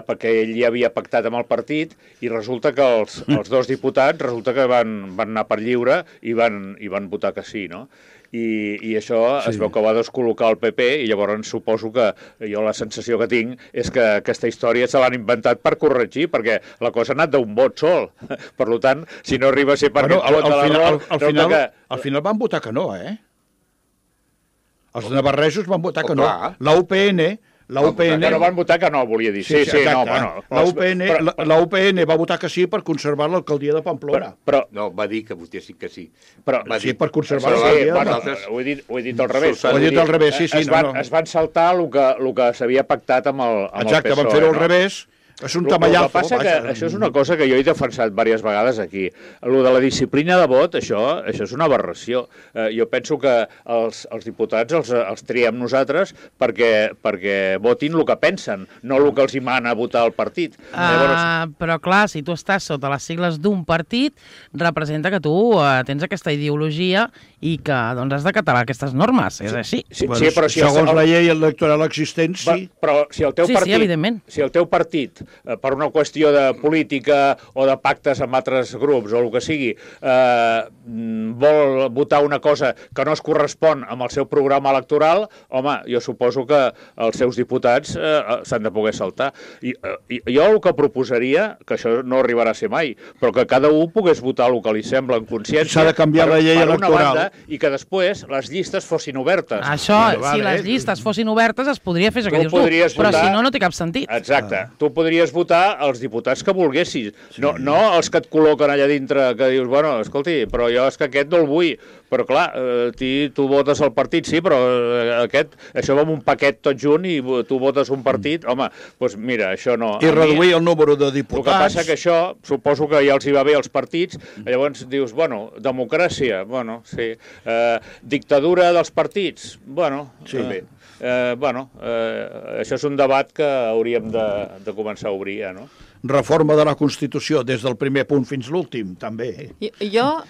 S6: perquè ell ja havia pactat amb el partit, i resulta que els 2 diputats van anar per lliure i van votar que sí, no? I això es veu que va descol·locar el PP, i llavors suposo que jo la sensació que tinc és que aquesta història se l'han inventat per corregir, perquè la cosa ha anat d'un vot sol. Per tant, si no arriba a ser per aquest vot de l'error...
S4: Al final van votar que no, Els navarresos van votar que no. La UPN...
S6: Que no van votar que no, volia dir. Sí, no, bueno...
S4: La UPN va votar que sí per conservar l'alcaldia de Pamplona.
S3: No, va dir que votessin que sí.
S4: Sí, per conservar l'alcaldia.
S6: Ho he dit al revés.
S4: Ho he dit al revés, sí.
S6: Es van saltar el que s'havia pactat amb el PSOE.
S4: Exacte, van fer-ho al revés. És un tamallazo.
S6: El que passa que això és una cosa que jo he defensat diverses vegades aquí. Lo de la disciplina de vot, això és una aberració. Jo penso que els diputats els triem nosaltres perquè votin el que pensen, no el que els hi mana votar el partit.
S2: Però clar, si tu estàs sota les sigles d'un partit, representa que tu tens aquesta ideologia i que has d'acatar aquestes normes. És així.
S4: Segons la llei electoral existent, sí.
S6: Però si el teu partit per una qüestió de política o de pactes amb altres grups o el que sigui, vol votar una cosa que no es correspon amb el seu programa electoral, home, jo suposo que els seus diputats s'han de poder saltar. I jo el que proposaria, que això no arribarà a ser mai, però que cada un pogués votar el que li sembla en consciència.
S4: S'ha de canviar la llei electoral.
S6: I que després les llistes fossin obertes.
S2: Això, si les llistes fossin obertes, es podria fer això que dius tu, però si no, no té cap sentit.
S6: Exacte. Tu podries votar els diputats que volguessis, no els que et col·loquen allà dintre, que dius, bueno, escolti, però jo és que aquest no el vull. Però clar, tu votes el partit, sí, però això va amb un paquet tot junt i tu votes un partit, home, doncs mira, això no.
S4: I reduir el número de diputats.
S6: El que passa que això, suposo que ja els hi va bé als partits, llavors dius, bueno, democràcia, bueno, sí, dictadura dels partits, bueno,
S4: sí.
S6: Això és un debat que hauríem de començar a obrir, no?
S4: reforma de la Constitució des del primer punt fins l'últim, també.
S5: Jo,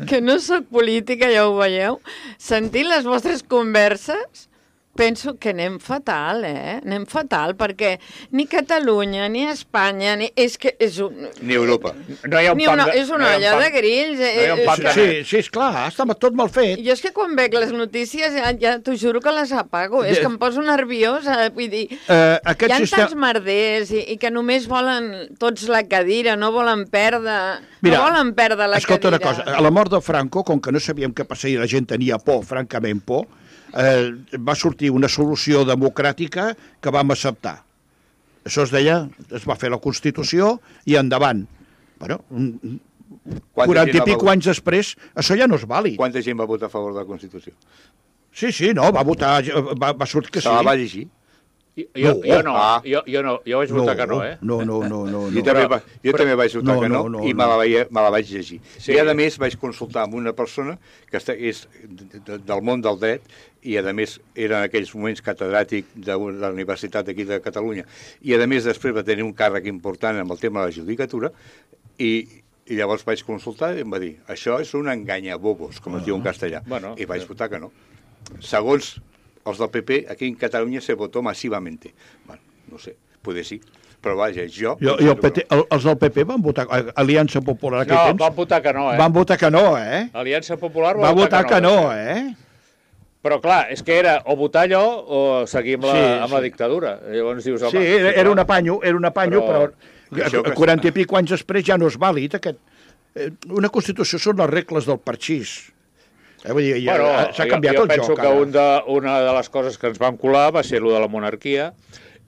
S5: que no sóc política, ja ho veieu, sentint les vostres converses, penso que anem fatal, Anem fatal, perquè ni Catalunya, ni Espanya, és
S3: ni Europa.
S6: No hi ha un
S5: és una olla de grills.
S4: Sí, esclar, està tot mal fet.
S5: Jo és que quan veig les notícies ja t'ho juro que les apago. És que em poso nerviosa, vull dir, hi ha tants merders i que només volen tots la cadira, no volen perdre la cadira.
S4: Escolta una cosa, a la mort de Franco, com que no sabíem què passaria, la gent tenia por, francament por, va sortir una solució democràtica que vam acceptar. Això es va fer la Constitució i endavant. Bueno, 40 i pico anys després, això ja no és vàlid.
S3: Quanta gent va votar a favor de la Constitució?
S4: Sí, no, va votar, va sortir que sí.
S3: Se la va llegir?
S6: Jo vaig votar que no,
S4: No.
S3: Jo també vaig votar que no i me la vaig llegir. I a més vaig consultar amb una persona que és del món del dret i a més era en aquells moments catedràtic de la Universitat d'aquí de Catalunya i a més després va tenir un càrrec important amb el tema de la judicatura i llavors vaig consultar i em va dir això és un enganyabobos, com es diu en castellà, i vaig votar que no. Segons els del PP, aquí en Catalunya se votó massivamente. Bueno, no sé, potser sí. Però vaja,
S4: els del PP van votar... Aliança Popular aquell temps...
S6: No, van votar que no,
S4: Van votar que no,
S6: Aliança Popular
S4: va votar que no,
S6: Però clar, és que era o votar allò o seguir amb la dictadura. Llavors dius, home...
S4: Sí, era un apanyo, però 40 i pico anys després ja no és vàlid. Una Constitució són les regles del parxís. S'ha canviat el joc.
S6: Jo penso que una de les coses que ens vam colar va ser allò de la monarquia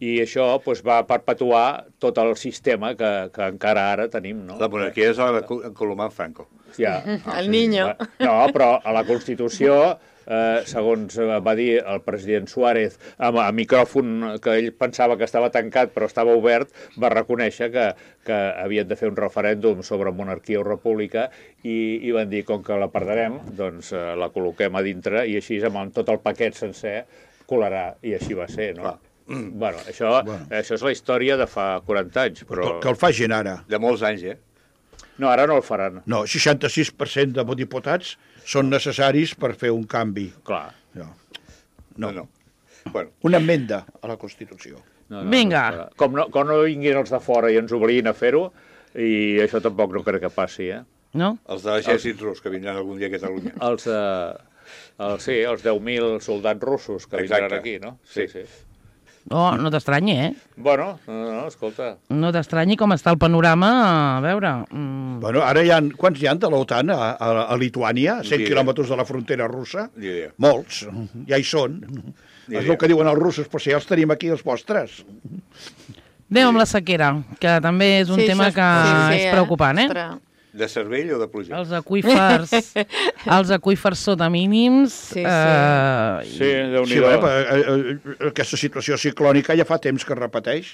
S6: i això va perpetuar tot el sistema que encara ara tenim. No?
S3: La monarquia és en Colomán Franco.
S6: Ja.
S5: El niño.
S6: No, però a la Constitució, segons va dir el president Suárez a micròfon que ell pensava que estava tancat però estava obert, va reconèixer que havien de fer un referèndum sobre monarquia o república i van dir, com que la perdrem, doncs la col·loquem a dintre i així amb tot el paquet sencer colarà, i així va ser, no? Bueno, això és la història de fa 40 anys, però...
S4: Que el facin ara.
S3: De molts anys,
S6: No, ara no el faran.
S4: No, 66% de diputats són necessaris per fer un canvi.
S6: Clar.
S3: No. Bueno.
S4: Una enmenda a la Constitució.
S2: Vinga.
S6: Com no vinguin els de fora i ens obliguin a fer-ho, i això tampoc no crec que passi,
S2: No?
S3: Els de l'exèrcit rus que vindran algun dia a Catalunya.
S6: Els 10.000 soldats russos que vindran aquí, no? Sí.
S2: Oh, no t'estranyi,
S6: Bueno, no, escolta.
S2: No t'estranyi com està el panorama, a veure...
S4: Bueno, ara quants hi ha de l'OTAN a Lituània, 100 quilòmetres de la frontera russa? Molts, ja hi són. És el que diuen els russos, però si ja els tenim aquí, els vostres.
S2: Anem amb la sequera, que també és un tema que és preocupant,
S3: De cervell o de pluja?
S2: Els aqüífers sota mínims...
S6: Sí, Déu-n'hi-do.
S4: Aquesta situació ciclònica ja fa temps que es repeteix.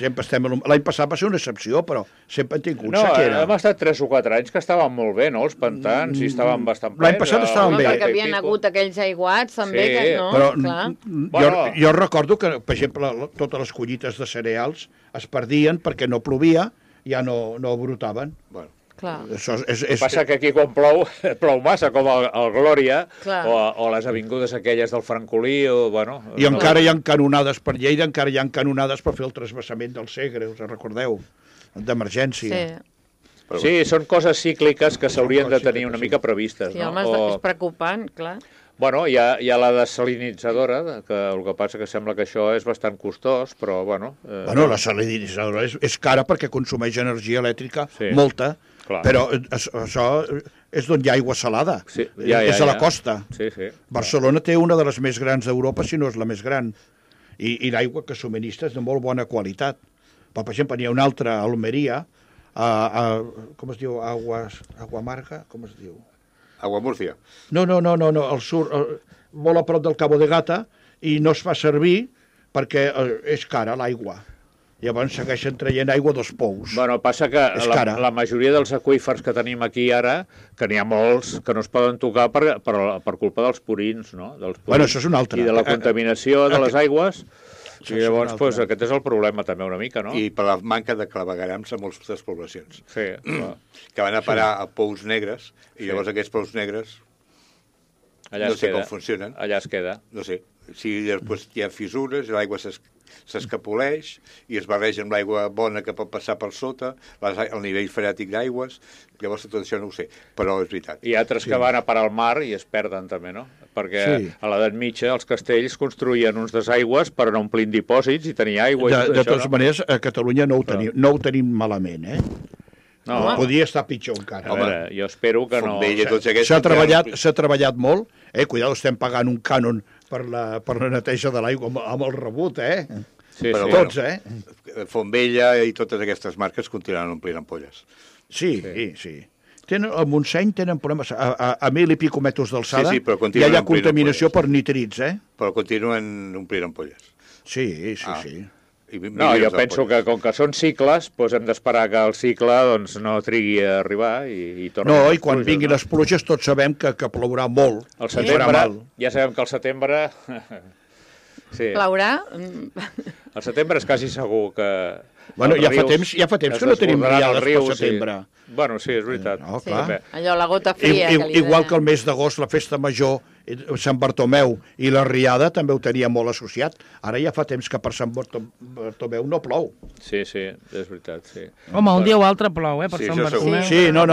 S4: L'any passat va ser una excepció, però sempre han tingut sequera.
S6: Hem estat 3 o 4 anys que estaven molt bé, no? Els pantans i estaven bastant plens.
S4: L'any passat estaven bé.
S5: Perquè havien hagut aquells aiguats, també,
S4: però jo recordo que, per exemple, totes les collites de cereals es perdien perquè no plovia, ja no brotaven.
S3: Bueno.
S5: Clar.
S6: El que passa que aquí quan plou massa, com el Glòria, o les avingudes aquelles del Francolí,
S4: I encara hi ha canonades per Lleida, encara hi ha canonades per fer el trasbassament del Segre, us recordeu? D'emergència.
S6: Sí, són coses cícliques que s'haurien de tenir una mica previstes.
S5: Sí, home, és preocupant, clar.
S6: Bueno, hi ha la desalinitzadora, que el que passa que sembla que això és bastant costós, però bueno...
S4: La desalinitzadora és cara perquè consumeix energia elèctrica, molta, però això és d'on hi ha aigua salada, és a la costa. Barcelona té una de les més grans d'Europa, si no és la més gran, i l'aigua que subministra és de molt bona qualitat. Per exemple, n'hi ha una altra a Almeria, com es diu? Agua Amarga, com es diu?
S3: Agua Murcia.
S4: No, al sud, molt a prop del Cabo de Gata, i no es fa servir perquè és cara l'aigua. Llavors segueixen traient aigua dels pous.
S6: Bueno, passa que la majoria dels aqüífers que tenim aquí ara, que n'hi ha molts que no es poden tocar per culpa dels purins, no?
S4: Bueno, això és un altre.
S6: I de la contaminació de les aigües... I llavors, doncs, aquest és el problema també una mica, no?
S3: I per la manca de clavegarams a moltes poblacions.
S6: Sí, clar.
S3: Que van a parar a pous negres, i llavors aquests pous negres
S6: Allà
S3: no sé com funcionen.
S6: Allà es queda.
S3: No sé. Si després hi ha fissures, l'aigua s'escapoleix i es barreja amb l'aigua bona que pot passar per sota, el nivell freàtic d'aigües, llavors tot això no ho sé, però és veritat.
S6: I altres que van a parar al mar i es perden també, no? Perquè a l'edat mitja els castells construïen uns desaigües per anar omplint dipòsits i tenir aigua.
S4: De totes maneres, a Catalunya no ho tenim malament, eh?
S6: No.
S4: Podria estar pitjor encara.
S6: A veure, jo espero que no...
S4: S'ha treballat molt. Cuidado, estem pagant un cànon per la neteja de l'aigua amb el rebut, eh?
S6: Sí,
S3: però
S4: tots,
S3: Fontvella i totes aquestes marques continuen omplint ampolles.
S4: Sí. A Montseny tenen problemes. A 1.000 i pico metres d'alçada
S3: ja
S4: hi ha contaminació per nitrits, eh?
S3: Però continuen omplint ampolles.
S4: Sí.
S6: No, jo penso que com que són cicles, doncs hem d'esperar que el cicle no trigui a arribar i torni.
S4: No, i quan vinguin les pluges tots sabem que plourà molt.
S6: Al setembre, ja sabem que al setembre...
S5: Plourà?
S6: Al setembre és quasi segur que...
S4: Bueno, ja fa temps que no tenim riades pel setembre.
S6: Bueno, sí, és veritat.
S4: No, clar.
S5: Allò, la gota fria.
S4: Igual que el mes d'agost, la festa major, Sant Bartomeu i la Riada també ho tenia molt associat. Ara ja fa temps que per Sant Bartomeu no plou.
S6: Sí, és veritat, sí.
S2: Home, un dia o altre plou, per Sant Bartomeu.
S4: Sí, no,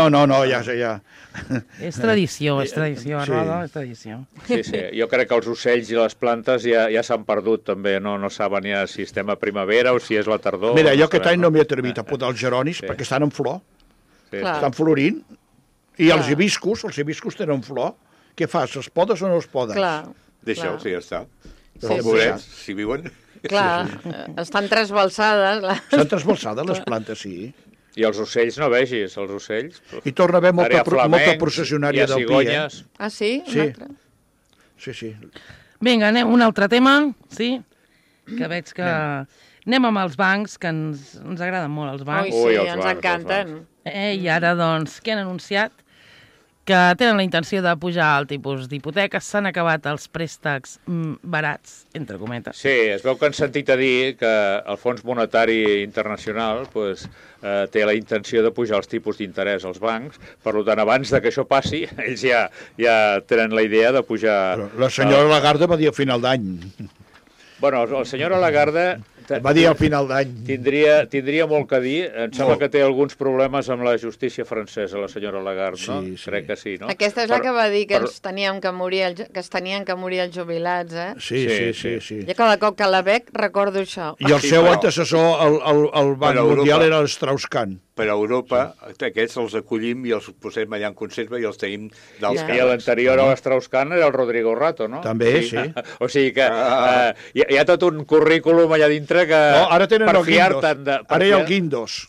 S4: ja.
S2: És tradició, Roda, és tradició.
S6: Sí, jo crec que els ocells i les plantes ja s'han perdut també, no saben ja si estem a primavera o si és la tardor.
S4: Mira, jo aquest any no m'he atrevit a podar els geronis perquè estan en flor, estan florint, i els hibiscus tenen flor. Què fas, els podes o no els podes?
S5: Clar.
S3: Deixa'ls, ja està. Els bolets, si viuen...
S5: Clar, estan trasbalsades.
S4: Estan trasbalsades les plantes, sí.
S6: I els ocells no vegis, els ocells...
S4: I torna a haver molta processionària del pi, eh?
S5: Ah, sí?
S4: Sí.
S2: Vinga, anem a un altre tema, sí? Que veig que... Anem amb els bancs, que ens agraden molt els bancs.
S5: Ui, sí, ens encanten.
S2: I ara, doncs, què han anunciat? Que tenen la intenció de pujar el tipus d'hipoteques, s'han acabat els préstecs barats, entre cometes.
S6: Sí, es veu que han sentit a dir que el Fons Monetari Internacional té la intenció de pujar els tipus d'interès als bancs, per tant, abans de que això passi, ells ja tenen la idea de pujar...
S4: La senyora Lagarde va dir a final d'any.
S6: Bueno, el senyor Lagarde...
S4: Va dir al final d'any.
S6: Tindria molt que dir. Em sembla que té alguns problemes amb la justícia francesa, la senyora Lagarde, no?
S4: Sí.
S6: Crec que sí, no?
S5: Aquesta és la que va dir que es tenien que morir els jubilats, eh?
S4: Sí.
S5: Jo cada cop que la veig recordo això.
S4: I el seu antecessor, el Banc Mundial, era l'Strauss-Kahn.
S3: Per a Europa, aquests els acollim i els posem allà en conserva i els tenim d'alts càrrecs.
S6: I l'anterior a l'Strauss-Kahn era el Rodrigo Rato, no?
S4: També, sí.
S6: O sigui que hi ha tot un currículum allà dintre que...
S4: No, ara tenen el Guindos. Ara hi ha el Guindos.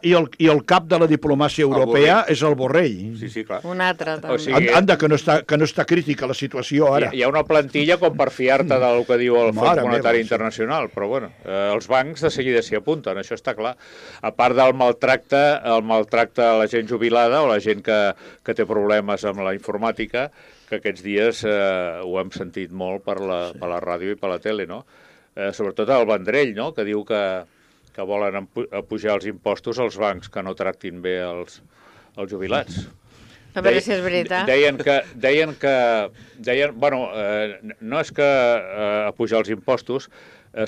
S4: I el cap de la diplomàcia europea és el Borrell.
S3: Sí, clar.
S5: Un altre, també.
S6: O sigui,
S4: Anda, que no està crítica la situació ara.
S6: Hi ha una plantilla com per fiar-te del que diu el Fons Monetari Internacional, però bueno, els bancs de seguida s'hi apunten, això està clar. A part del maltracte a la gent jubilada o la gent que té problemes amb la informàtica, que aquests dies ho hem sentit molt per la ràdio i per la tele, no? Sobretot el Vendrell, no?, que diu que volen pujar els impostos als bancs que no tractin bé els jubilats.
S5: A veure si és veritat.
S6: No és que pujar els impostos,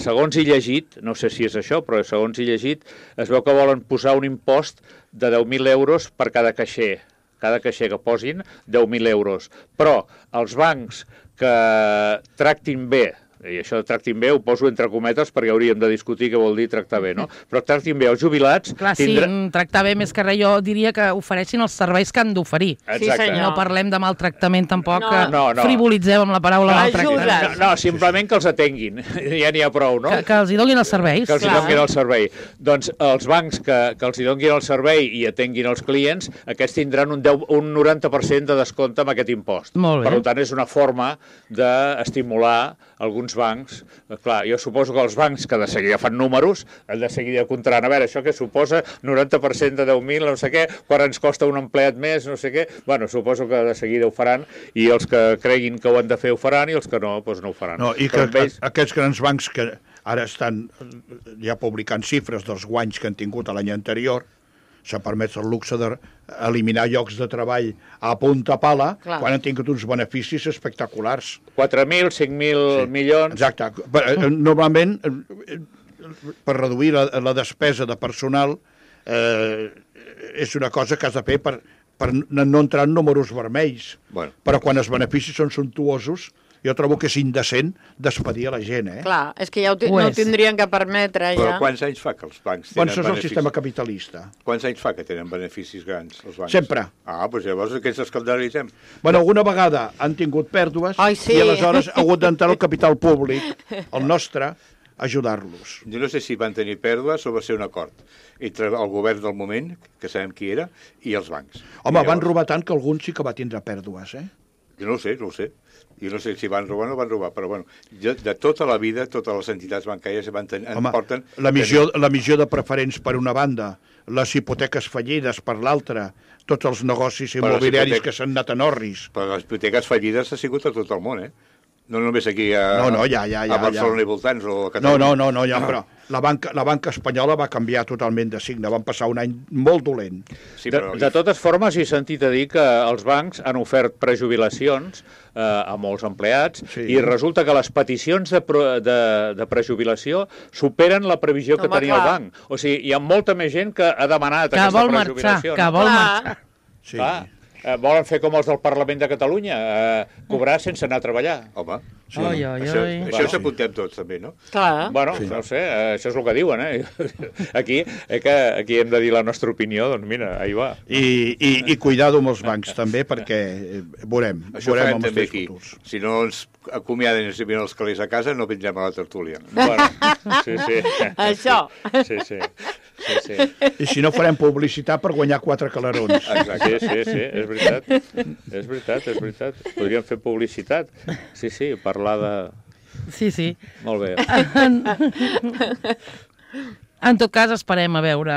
S6: segons he llegit, no sé si és això, però segons he llegit, es veu que volen posar un impost de 10.000 euros per cada caixer que posin 10.000 euros. Però els bancs que tractin bé, i això de tractin bé ho poso entre cometes perquè hauríem de discutir què vol dir tractar bé, no? Però tractin bé els jubilats...
S2: Clar, sí, tractar bé més que res, jo diria que ofereixin els serveis que han d'oferir.
S5: Sí, senyor.
S2: No parlem de maltractament tampoc,
S6: no.
S2: frivolitzem amb la paraula maltractament.
S6: No, simplement que els atenguin, ja n'hi ha prou, no?
S2: Que els hi donin els serveis.
S6: Que els hi donin el servei. Doncs els bancs que els hi donin el servei i atenguin els clients, aquests tindran un 90% de descompte amb aquest impost.
S2: Molt bé.
S6: Per tant, és una forma d'estimular alguns bancs. Clar, jo suposo que els bancs que de seguida fan números, han de seguida comptaran, a veure, això què suposa 90% de 10.000, no sé què, quan ens costa un empleat més, no sé què. Bueno, suposo que de seguida ho faran i els que creguin que ho han de fer ho faran i els que no, doncs no ho faran.
S4: No, i que aquests grans bancs que ara estan ja publicant xifres dels guanys que han tingut l'any anterior, s'ha permès el luxe d'eliminar llocs de treball a punta pala, quan han tingut uns beneficis espectaculars.
S6: 4.000, 5.000 milions...
S4: Exacte. Normalment, per reduir la despesa de personal, és una cosa que has de fer per no entrar en números vermells. Però quan els beneficis són sumptuosos, jo trobo que és indecent despedir a la gent,
S5: Clar, és que ja no ho tindrien que permetre, ja.
S3: Però quants anys fa que els bancs tenen beneficis?
S4: Doncs és el sistema capitalista.
S3: Quants anys fa que tenen beneficis grans, els bancs?
S4: Sempre.
S3: Doncs llavors aquests escandalitzem.
S4: Bueno, alguna vegada han tingut pèrdues i aleshores ha hagut d'entrar el capital públic, el nostre, a ajudar-los.
S3: Jo no sé si van tenir pèrdues o va ser un acord entre el govern del moment, que sabem qui era, i els bancs.
S4: Home, van robar tant que algun sí que va tindre pèrdues,
S3: Jo no ho sé. Jo no sé si van robar o no van robar, però bueno, de tota la vida, totes les entitats bancàries porten...
S4: La missió de preferents per una banda, les hipoteques fallides per l'altra, tots els negocis immobiliaris que s'han anat en orris.
S3: Però les hipoteques fallides ha sigut a tot el món, No només aquí a Barcelona i voltants o a Catalunya.
S4: No, però la banca espanyola va canviar totalment de signe, van passar un any molt dolent.
S6: De totes formes, he sentit a dir que els bancs han ofert prejubilacions a molts empleats i resulta que les peticions de prejubilació superen la previsió que tenia el banc. O sigui, hi ha molta més gent que ha demanat aquesta prejubilació.
S2: Que vol marxar.
S6: Sí. Volen fer com els del Parlament de Catalunya, cobrar sense anar a treballar.
S3: Home,
S2: això
S3: s'apuntem tots, també, no?
S5: Clar.
S6: Bueno, no sé, això és el que diuen, Aquí hem de dir la nostra opinió, doncs mira, ahí va.
S4: I cuidado amb els bancs, també, perquè veurem amb els futurs.
S3: Si no ens acomiaden i ens envien els calés a casa, no vindrem a la tertúlia.
S6: Bueno, sí.
S5: Això.
S6: Sí.
S4: I si no farem publicitat per guanyar 4 calarons.
S6: Exacte. Sí, és veritat. Podríem fer publicitat. Sí, parlar de...
S2: Sí.
S6: Molt bé.
S2: En tot cas, esperem a veure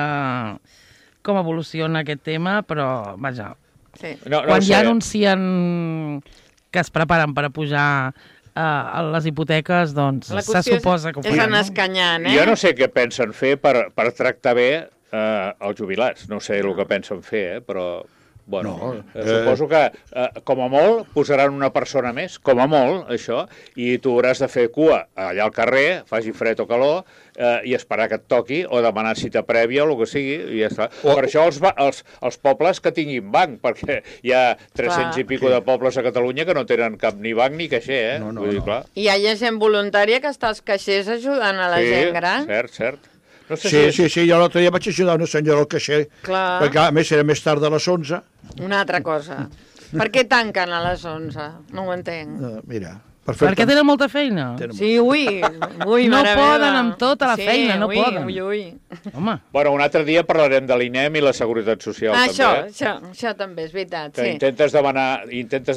S2: com evoluciona aquest tema, però, vaja, quan ja anuncien que es preparen per a pujar a les hipoteques, doncs se suposa que ho
S5: faran. És anar escanyant,
S6: Jo no sé què pensen fer per tractar bé els jubilats. No sé el que pensen fer, però... Bueno, suposo que, com a molt, posaran una persona més, com a molt, això, i tu hauràs de fer cua allà al carrer, faci fred o calor, i esperar que et toqui, o demanar cita prèvia o el que sigui, i ja està. Per això els pobles que tinguin banc, perquè hi ha 300 i pico de pobles a Catalunya que no tenen cap ni banc ni caixer,
S4: Vull dir, clar.
S5: I hi ha gent voluntària que està als caixers ajudant a la gent gran.
S6: Cert.
S4: No sé sí, jo l'altre dia vaig ajudar una senyora al caixer, perquè a més era més tard de les 11.
S5: Una altra cosa. Per què tanquen a les 11? No ho entenc.
S4: Mira,
S2: perquè tenen molta feina.
S5: Sí, ui,
S2: no poden amb tota la feina, no poden.
S5: Home.
S6: Bueno, un altre dia parlarem de l'INEM i la Seguretat Social, també.
S5: Això també és veritat,
S6: que intentes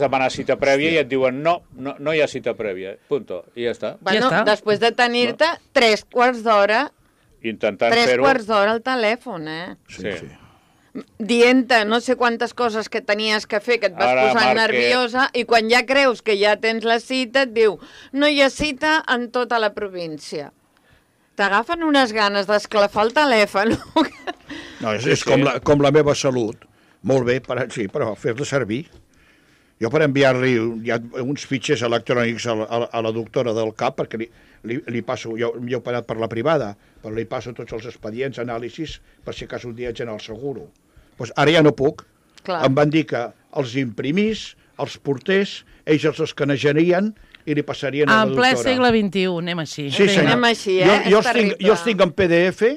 S6: demanar cita prèvia i et diuen no hi ha cita prèvia, punto, i ja està.
S5: Bueno, després de tenir-te 3 quarts d'hora
S6: intentant fer-ho...
S5: 3 quarts d'hora al telèfon,
S6: Sí.
S5: Dient-te no sé quantes coses que tenies que fer, que et vas posant nerviosa, i quan ja creus que ja tens la cita, et diu, no hi ha cita en tota la província. T'agafen unes ganes d'esclafar el telèfon.
S4: No, és com la meva salut. Molt bé, però fer-la servir. Jo per enviar-li uns fitxers electrònics a la doctora del CAP, perquè li passo, jo he operat per la privada, però li passo tots els expedients, anàlisis, per si cas un dia haig d'anar al seguro. Doncs ara ja no puc. Em van dir que els imprimís, els portés, ells els escanejarien i li passarien a la doctora.
S2: En ple segle XXI, anem així.
S4: Sí, senyor.
S5: Anem així,
S4: Jo els tinc en PDF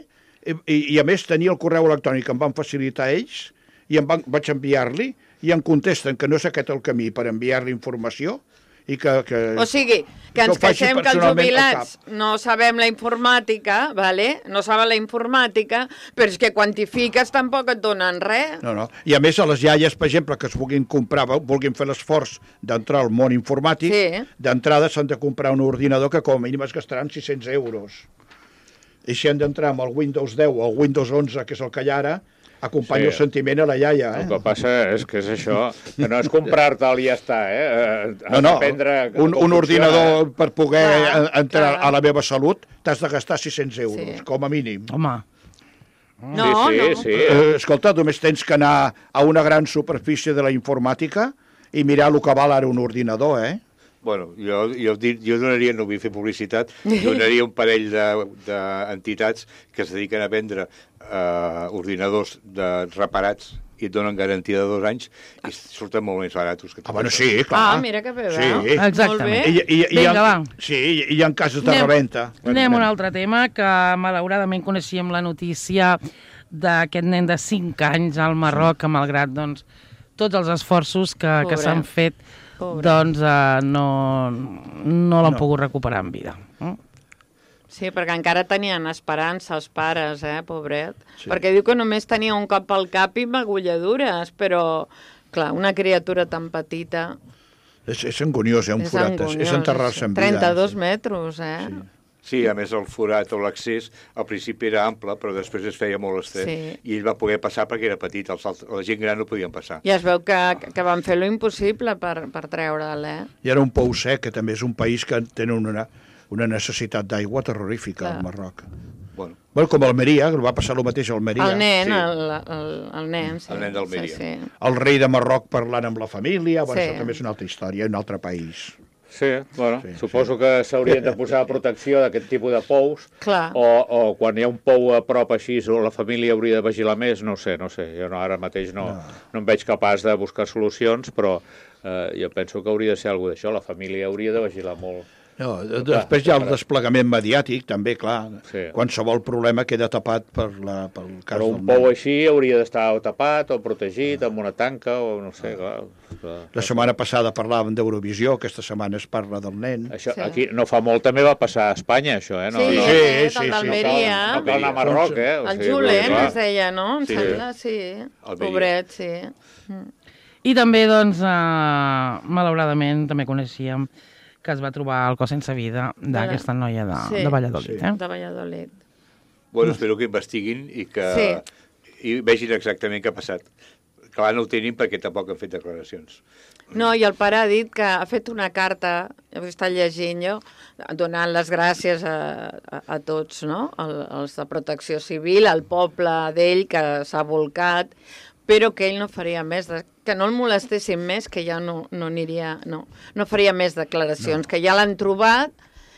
S4: i a més tenia el correu electrònic que em van facilitar ells i vaig enviar-li i em contesten que no és aquest el camí per enviar-li informació i que...
S5: O sigui, que ens queixem que els jubilats no sabem la informàtica, no saben la informàtica, però és que quantifiques tampoc et donen res.
S4: No. I a més, a les iaies, per exemple, que es vulguin fer l'esforç d'entrar al món informàtic, d'entrada s'han de comprar un ordinador que com a mínim es gastaran 600 euros. I si han d'entrar amb el Windows 10 o el Windows 11, que és el que hi ha ara, acompanya el sentiment a la iaia.
S6: El que passa és que és això, que no és comprar-te'l i ja està,
S4: un ordinador per poder entrar a la meva salut t'has de gastar 600 euros, com a mínim.
S2: Home.
S5: No.
S4: Escolta, només tens que anar a una gran superfície de la informàtica i mirar el que val ara un ordinador,
S3: Bueno, jo donaria, no vull fer publicitat, donaria un parell d'entitats que es dediquen a vendre ordinadors reparats i et donen garantia de 2 anys i surten molt més baratos.
S4: Bueno, sí, clar.
S5: Mira que bé,
S4: sí.
S2: Exactament.
S5: Vinga,
S2: va.
S4: Sí, hi ha casos de reventa.
S2: Anem a un altre tema, que malauradament coneixíem la notícia d'aquest nen de 5 anys al Marroc, que malgrat tots els esforços que s'han fet, no l'han pogut recuperar en vida.
S5: Sí, perquè encara tenien esperança els pares, pobret. Sí. Perquè diu que només tenia un cop al cap i magulladures, però, clar, una criatura tan petita...
S4: És angoniós, un forat, és enterrar-se en vida.
S5: 32 metres,
S3: Sí, a més el forat o l'accés al principi era ample, però després es feia molt estret. I ell va poder passar perquè era petit, la gent gran no podien passar.
S5: I es veu que van fer lo impossible per treure'l,
S4: I era un pou sec, que també és un país que tenen una necessitat d'aigua terrorífica, al Marroc. Bueno, com Almeria, que va passar el mateix a Almeria.
S5: El nen, el nen, sí.
S3: El nen d'Almeria.
S5: Sí.
S4: El rei de Marroc parlant amb la família, això també és una altra història, un altre país.
S6: Sí, suposo que s'haurien de posar protecció d'aquest tipus de pous, o quan hi ha un pou a prop així, o la família hauria de vigilar més, no sé, jo ara mateix no em veig capaç de buscar solucions, però jo penso que hauria de ser alguna d'això, la família hauria de vigilar molt.
S4: Després hi ha el desplegament mediàtic, també, clar. Qualsevol problema queda tapat pel cas del nen.
S6: Però un pou així hauria d'estar tapat o protegit amb una tanca o no sé, clar.
S4: La setmana passada parlàvem d'Eurovisió, aquesta setmana es parla del nen.
S6: Aquí no fa molt també va passar a Espanya, això,
S5: Sí, d'Almeria.
S6: No cal anar a Marroc,
S5: El Julen es deia, no? Em sembla, sí. Pobret, sí.
S2: I també, malauradament, també coneixíem que es va trobar el cos sense vida d'aquesta noia de Valladolid.
S5: De Valladolid.
S3: Bueno, espero que investiguin i que vegin exactament què ha passat. Clar, no ho tenim perquè tampoc han fet declaracions.
S5: No, i el pare ha dit que ha fet una carta, he estat llegint jo, donant les gràcies a tots, no? Els de Protecció Civil, al poble d'ell que s'ha volcat, però que ell no faria més, que no el molestessin més, que ja no aniria, no faria més declaracions, que ja l'han trobat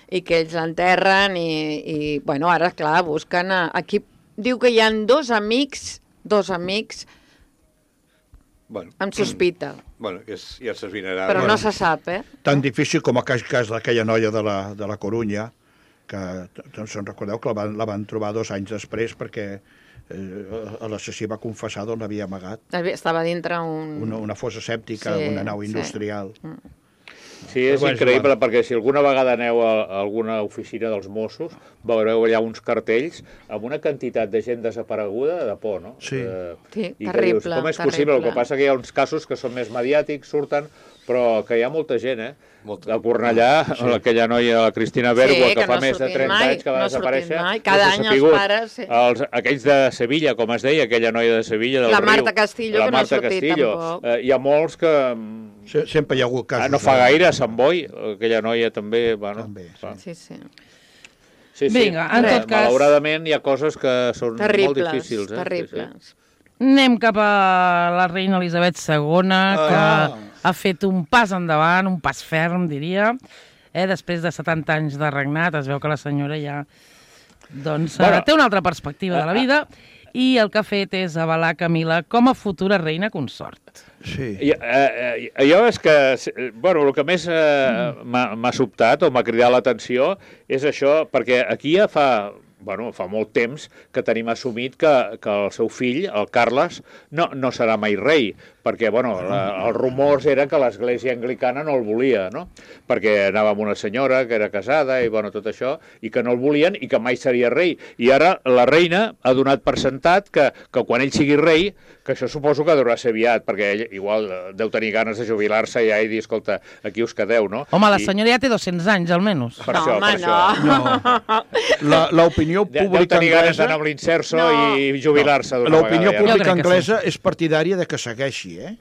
S5: i que ells l'enterren i bueno, ara, clar, busquen aquí, diu que hi ha dos amics amb sospita.
S3: Bueno, ja s'esvinarà.
S5: Però no se sap,
S4: Tan difícil com el cas d'aquella noia de la Corunya, que, se'n recordeu que la van trobar 2 anys després perquè l'assassí va confessar d'on l'havia amagat.
S5: Estava dintre
S4: una fossa sèptica, una nau industrial.
S6: Sí, és increïble, perquè si alguna vegada aneu a alguna oficina dels Mossos, veureu allà uns cartells amb una quantitat de gent desapareguda de por, no?
S4: Sí.
S5: Terrible.
S6: Dius, com és possible? El que passa que hi ha uns casos que són més mediàtics, surten, però que hi ha molta gent, A Cornellà, aquella noia, la Cristina Bergua, que fa més de 30 anys que va desaparèixer.
S5: Cada any els pares...
S6: Aquells de Sevilla, com es deia, aquella noia de Sevilla, del Riu.
S5: La Marta Castillo, que no ha sortit tampoc.
S6: Hi ha molts que...
S4: Sempre hi ha hagut casos.
S6: No fa gaire, a Sant Boi, aquella noia també... Sí.
S2: Vinga, en tot cas...
S6: Malauradament hi ha coses que són molt difícils.
S5: Terribles.
S2: Anem cap a la reina Elisabet II, que ha fet un pas endavant, un pas ferm, diria. Després de 70 anys de regnat, es veu que la senyora ja té una altra perspectiva de la vida i el que ha fet és avalar Camila com a futura reina consort.
S4: Sí.
S6: Jo és que, el que més m'ha sobtat o m'ha cridat l'atenció és això, perquè aquí ja fa molt temps que tenim assumit que el seu fill, el Carles, no serà mai rei, perquè els rumors era que l'Església Anglicana no el volia, no? Perquè anava amb una senyora que era casada i tot això, i que no el volien i que mai seria rei. I ara la reina ha donat per sentat que quan ell sigui rei, que això suposo que deurà ser aviat, perquè ell igual deu tenir ganes de jubilar-se ja i dir, escolta, aquí us quedeu, no?
S2: Home, la senyora ja té 200 anys, almenys.
S6: Per això.
S4: L'opinió l'opinió
S6: Deu
S4: pública
S6: tenir ganes
S4: anglesa...
S6: d'anar amb l'inserso i jubilar-se d'una
S4: L'opinió
S6: vegada.
S4: pública
S2: crec que
S4: anglesa és partidària de que segueixi, eh?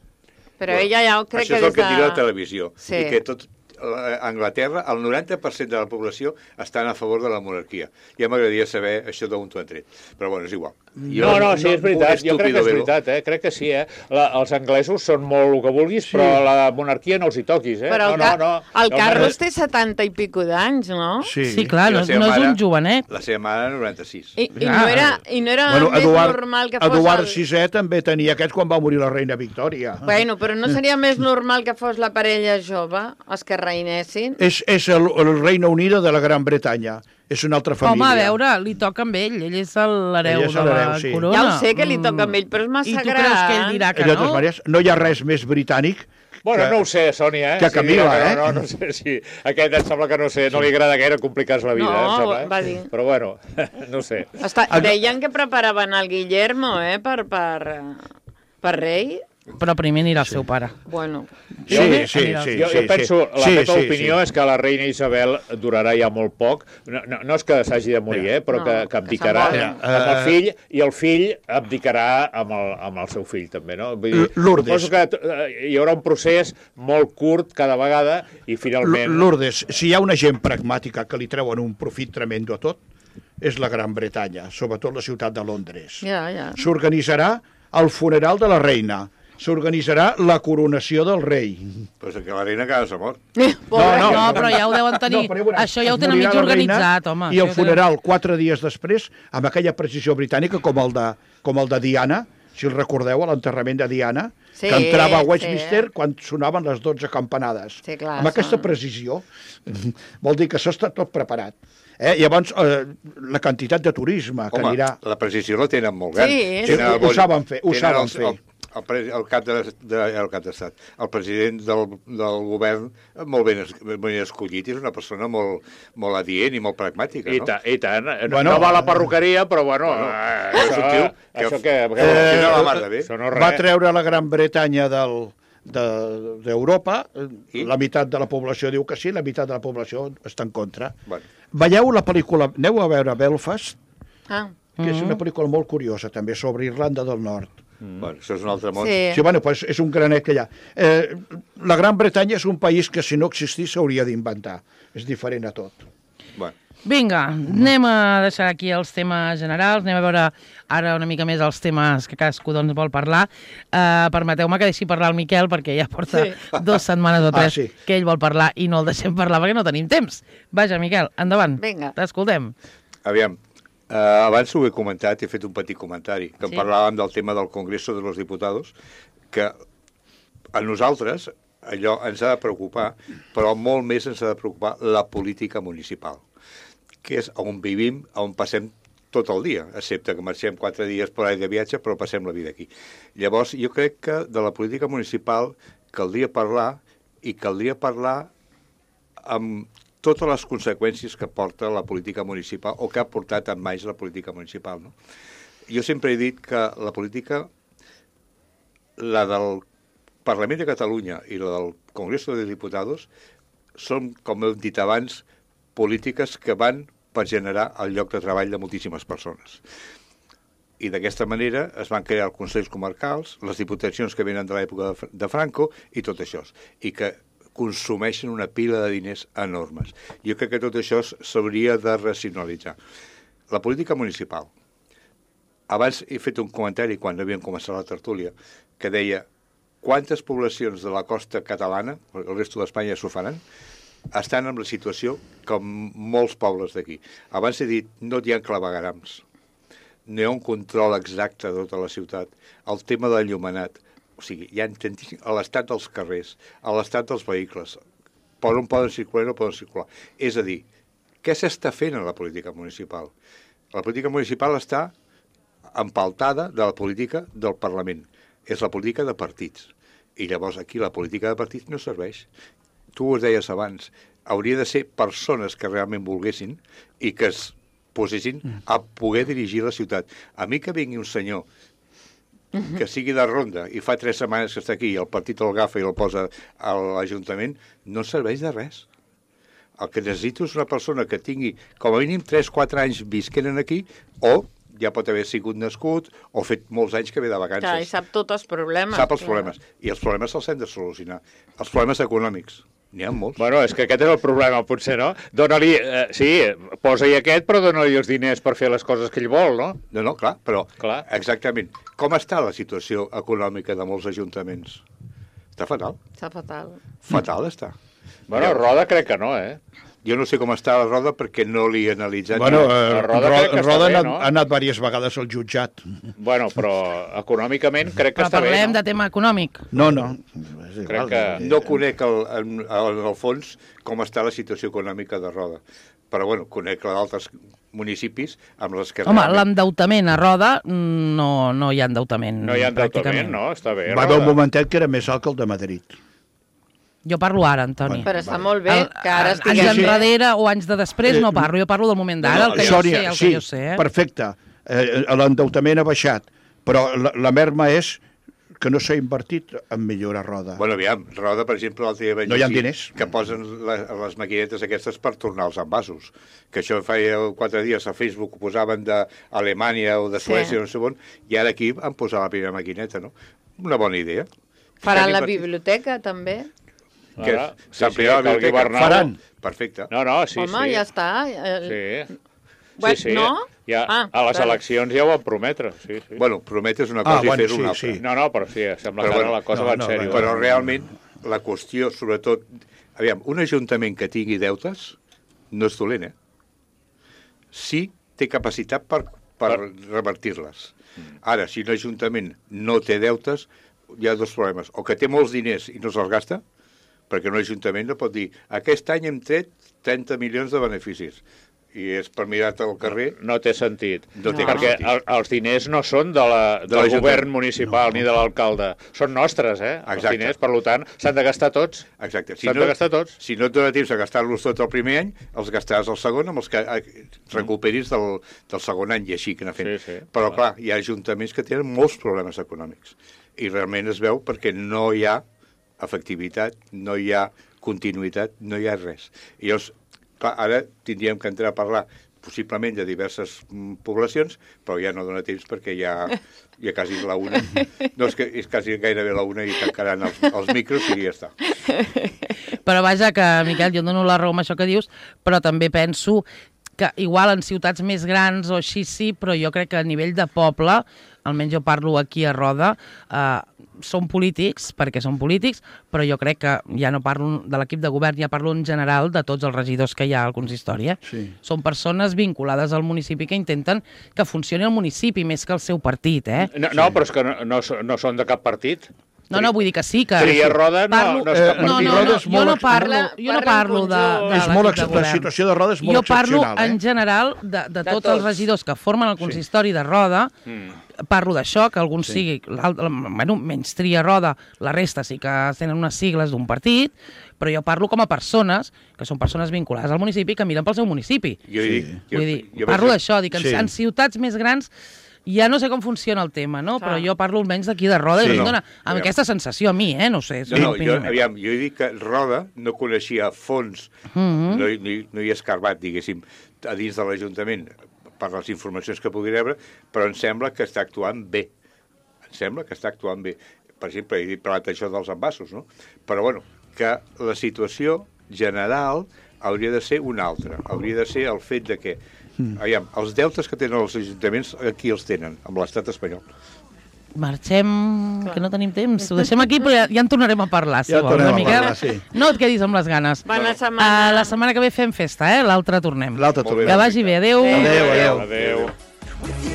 S5: Però ella ja ho crec
S3: Això
S5: que
S3: és el
S5: des
S3: que
S5: de...
S3: diu la televisió.
S5: Sí.
S3: I que tot a Anglaterra, el 90% de la població estan a favor de la monarquia. Ja m'agradaria saber això d'on t'ho han tret. Però bueno, és igual.
S6: No, sí, és veritat. Jo crec que és veritat, Crec que sí, Els anglesos són molt el que vulguis, però la monarquia no els hi toquis,
S5: Però el Carlos té 70 i pico d'anys, no?
S2: Sí, clar,
S3: I la
S2: no
S3: seva
S2: és
S3: mare-
S2: un jovenet.
S3: La seva mare, 96.
S5: I no era
S4: Bueno,
S5: més normal que fos...
S4: Eduard VI també tenia aquests quan va morir la reina Victòria.
S5: Bueno, però no seria més normal que fos la parella jove, els que reinessin?
S4: És el Reina Unida de la Gran Bretanya. És una altra família.
S2: Home, a veure, li toca amb ell és l'hereu
S4: Ell és
S2: de la
S4: l'hereu, sí.
S2: corona.
S5: Ja ho sé que li toca amb ell, però és massa
S2: I tu
S5: gran.
S2: creus que ell dirà que
S4: De totes
S2: no?
S4: maneres, no hi ha res més britànic
S6: Bueno, no ho sé, Sònia,
S4: que Camila,
S6: No sé si... Aquest em sembla que no sé, no li agrada gaire complicar-se la vida,
S5: No,
S6: em sembla.
S5: va dir.
S6: Però bueno, no sé.
S5: Deien que preparaven el Guillermo, per rei.
S2: Però primer anirà el seu pare.
S5: Bueno,
S4: Sí.
S6: Jo penso, la meva opinió és que la reina Isabel durarà ja molt poc. No és que s'hagi de morir, però que abdicarà amb el fill, i el fill abdicarà amb el seu fill, també, no? Vull dir,
S4: Lourdes.
S6: suposo que hi haurà un procés molt curt cada vegada i finalment...
S4: Lourdes, si hi ha una gent pragmàtica que li treuen un profit tremendo a tot, és la Gran Bretanya, sobretot la ciutat de Londres.
S5: ja.
S4: S'organitzarà el funeral de la reina, s'organitzarà la coronació del rei.
S3: Però és que la reina cada s'ha mort.
S2: No, però ja ho deuen tenir.
S4: però ja veuràs,
S2: Això ja ho
S4: es
S2: tenen
S4: morirà
S2: mig
S4: la reina
S2: organitzat, home.
S4: I el funeral 4 dies després, amb aquella precisió britànica com el de Diana, si el recordeu, a l'enterrament de Diana,
S5: Sí,
S4: que entrava a
S5: sí.
S4: Westminster quan sonaven les 12 campanades.
S5: Sí, clar,
S4: amb aquesta
S5: són-
S4: precisió, vol dir que això està tot preparat. Llavors, la quantitat de turisme que
S3: Home,
S4: anirà...
S3: la precisió la tenen molt gran.
S5: Sí,
S3: Tenen el
S4: ho saben fer, ho
S3: tenen
S4: saben fer.
S3: El cap d'estat, el president del govern, molt ben escollit, és una persona molt adient i molt pragmàtica, no?
S6: I tant.
S4: Bueno,
S6: No va a la perruqueria, però bueno...
S3: és un tio que funciona la mar de bé.
S6: Això no és
S4: Va
S6: res.
S4: treure la Gran Bretanya d'Europa, la meitat de la població diu que sí, la meitat de la població està en contra.
S3: Bueno.
S4: Veieu la pel·lícula, aneu a veure Belfast,
S5: Ah,
S4: que és una pel·lícula molt curiosa també, sobre Irlanda del Nord.
S3: Bueno, això és un altre món.
S5: sí.
S4: Sí, bueno, pues és un granet que hi ha. La Gran Bretanya és un país que si no existís s'hauria d'inventar. És diferent a tot.
S3: Bueno.
S2: Vinga, anem a deixar aquí els temes generals, anem a veure ara una mica més els temes que cadascú doncs, vol parlar. Permeteu-me que deixi parlar el Miquel, perquè ja porta 2 setmanes o 3
S4: sí.
S2: que ell vol parlar i no el deixem parlar perquè no tenim temps. Vaja, Miquel, endavant.
S5: Vinga.
S2: T'escoltem.
S3: Aviam, abans ho he comentat, he fet un petit comentari, que
S2: Sí.
S3: parlàvem del tema del Congreso de los Diputados, que a nosaltres allò ens ha de preocupar, però molt més ens ha de preocupar la política municipal, que és on vivim, on passem tot el dia, excepte que marxem 4 dies per ahí de viatge, però passem la vida aquí. Llavors, jo crec que de la política municipal caldria parlar, i caldria parlar amb totes les conseqüències que porta la política municipal, o que ha portat amb més la política municipal, no? Jo sempre he dit que la política, la del Parlament de Catalunya i la del Congreso de Diputados, són, com hem dit abans, polítiques que van per generar el lloc de treball de moltíssimes persones. I d'aquesta manera es van crear els consells comarcals, les diputacions que venen de l'època de Franco i tot això, i que consumeixen una pila de diners enormes. Jo crec que tot això s'hauria de racionalitzar. La política municipal. Abans he fet un comentari quan havíem començat la tertúlia que deia quantes poblacions de la costa catalana, el resto d'Espanya s'ho faran, estan en la situació com molts pobles d'aquí. Abans he dit, no hi ha clavegarams, no hi ha un control exacte de tota la ciutat, el tema del llumenat, o sigui, hi ha a l'estat dels carrers, a l'estat dels vehicles, per on poden circular i no poden circular. És a dir, què s'està fent en la política municipal? La política municipal està empaltada de la política del Parlament. És la política de partits. I llavors aquí la política de partits no serveix. Tu ho deies abans, hauria de ser persones que realment volguessin i que es posessin a poder dirigir la ciutat. A mi que vingui un senyor que sigui de ronda i fa 3 setmanes que està aquí i el partit el agafa i el posa a l'Ajuntament, no serveix de res. El que necessito és una persona que tingui com a mínim 3-4 anys visquent aquí, o ja pot haver sigut nascut o fet molts anys que ve de vacances.
S5: Clar, i sap tots els problemes.
S3: Sap els problemes. I els problemes se'ls hem de solucionar. Els problemes econòmics. N'hi ha molts.
S6: Bueno, és que aquest és el problema, potser, no? Dóna-li, sí, posa-hi aquest, però dóna-li els diners per fer les coses que ell vol, no?
S3: No, clar, però
S6: Clar.
S3: exactament. Com està la situació econòmica de molts ajuntaments? Està fatal.
S5: Està fatal.
S3: Fatal està.
S6: Bueno, Roda crec que no, eh?
S3: Jo no sé com està la Roda perquè no l'he analitzat.
S4: Bueno,
S6: Roda crec que està
S4: Roda
S6: bé,
S4: ha
S6: no?
S4: anat diverses vegades al jutjat.
S6: Bueno, però econòmicament crec que
S2: Però
S6: està bé,
S2: parlem
S6: no?
S2: de tema econòmic.
S4: No. És
S6: Crec
S4: igual,
S6: que-
S3: No conec en el fons com està la situació econòmica de Roda. Però, bueno, conec d'altres municipis amb les que...
S2: Home, l'endeutament a Roda no hi ha endeutament.
S6: No hi ha endeutament,
S2: pràcticament.
S6: no? Està bé,
S4: Va haver un
S6: Roda.
S4: momentet que era més alt que el de Madrid.
S2: Jo parlo ara, Antoni.
S5: Però està molt bé que ara
S2: Anys
S5: estiguem...
S2: enrere o anys de després no parlo, jo parlo del moment d'ara, el que jo sé, el que jo sé.
S4: Perfecte. L'endeutament ha baixat, però la merma és que no s'ha invertit en millorar Roda.
S3: Bueno, aviam, Roda, per exemple, l'altre dia vaig
S4: No hi ha
S3: llegir
S4: diners.
S3: que posen les maquinetes aquestes per tornar els envasos. Que això feia 4 dies a Facebook ho posaven d'Alemanya o de Suècia, no sé on, i ara aquí han posat la primera maquineta, no? Una bona idea.
S5: Faran la
S3: S'han invertit.
S5: biblioteca, també?
S3: Que
S6: Ara,
S3: s'ampliarà la
S6: que el
S3: biblioteca.
S6: Guibernau-
S4: Faran.
S3: Perfecte.
S6: No, sí,
S5: Home,
S6: sí.
S5: ja està.
S6: Sí.
S5: Bueno,
S6: Sí, sí.
S5: no?
S6: Ja,
S5: Ah,
S6: a les
S5: vale.
S6: eleccions ja ho van prometre, sí, sí.
S3: Bueno, prometes una cosa i
S4: bueno,
S3: fer una
S4: sí,
S3: altra.
S4: sí.
S6: No, però sí, sembla
S3: Però
S6: que ara
S3: bueno,
S6: la cosa
S4: no,
S6: va en
S4: no,
S6: sèrio.
S3: Però realment la qüestió, sobretot... Aviam, un ajuntament que tingui deutes no és dolent, eh? Sí té capacitat per revertir-les. Ara, si un ajuntament no té deutes, hi ha dos problemes. O que té molts diners i no se'ls gasta, perquè un ajuntament no pot dir aquest any hem tret 30 milions de beneficis. I és per mirar-te al carrer...
S6: No té sentit.
S3: No té
S6: Perquè
S3: cap sentit.
S6: els diners no són del
S3: l'Ajuntament.
S6: govern municipal ni de l'alcalde. Són nostres, eh?
S3: Exacte.
S6: Els diners, per tant, s'han de gastar tots.
S3: Exacte.
S6: S'han de gastar tots.
S3: Si no et dona temps a gastar-los tot el primer any, els gastaràs el segon amb els que recuperis del segon any i així que anar fent.
S6: Sí, sí.
S3: Però, clar, hi ha ajuntaments que tenen molts problemes econòmics i realment es veu perquè no hi ha efectivitat, no hi ha continuïtat, no hi ha res. I llavors, clar, ara tindríem que entrar a parlar possiblement de diverses poblacions, però ja no dona temps perquè ja quasi la una. No, és quasi gairebé la una i tancaran els micros i ja està.
S2: Però vaja que, Miquel, jo et dono la raó amb això que dius, però també penso que igual en ciutats més grans o així sí, però jo crec que a nivell de poble, almenys jo parlo aquí a Roda, són polítics, perquè són polítics, però jo crec que ja no parlo de l'equip de govern, ja parlo en general de tots els regidors que hi ha al consistori.
S4: Sí.
S2: Són persones vinculades al municipi que intenten que funcioni el municipi més que el seu partit, eh?
S6: No, però és que no són de cap partit.
S2: No, vull dir que sí, que...
S6: Tria Roda no és cap
S2: No,
S6: partit.
S2: no,
S4: és
S2: jo no
S4: molt
S2: parlo,
S5: parla
S2: de
S4: És
S2: l'equip
S4: molt
S2: de govern.
S4: la situació de Roda és molt
S2: Jo parlo
S4: excepcional,
S2: en general de tots els
S5: tots.
S2: regidors que formen el consistori de Roda. Parlo d'això, que algun sigui... Bueno, menys Tria Roda, la resta sí que tenen unes sigles d'un partit, però jo parlo com a persones, que són persones vinculades al municipi, que miren pel seu municipi. Vull dir, parlo d'això, dic que en ciutats més grans ja no sé com funciona el tema, no? Però jo parlo almenys d'aquí de Roda i em dona amb aquesta sensació a mi, no sé.
S3: Jo he dit que Roda no coneixia a fons, no hi he escarbat, diguéssim, a dins de l'Ajuntament per les informacions que pugui rebre, però em sembla que està actuant bé. Em sembla que està actuant bé. Per exemple, he parlat això dels envasos, no? Però, bueno, que la situació general hauria de ser una altra. Hauria de ser el fet de que aviam, els deutes que tenen els ajuntaments, aquí els tenen, amb l'estat espanyol.
S2: Marxem, que no tenim temps. Ho deixem aquí, però ja en tornarem a parlar, si
S4: Ja
S2: vols,
S4: tornem a
S2: Miquel.
S4: parlar, sí.
S2: No et quedis amb les ganes.
S5: Bona setmana.
S2: La setmana que ve fem festa, l'altra tornem.
S4: L'altre tornem.
S2: Que vagi bé, adéu.
S4: Adéu, adéu.
S6: Adéu.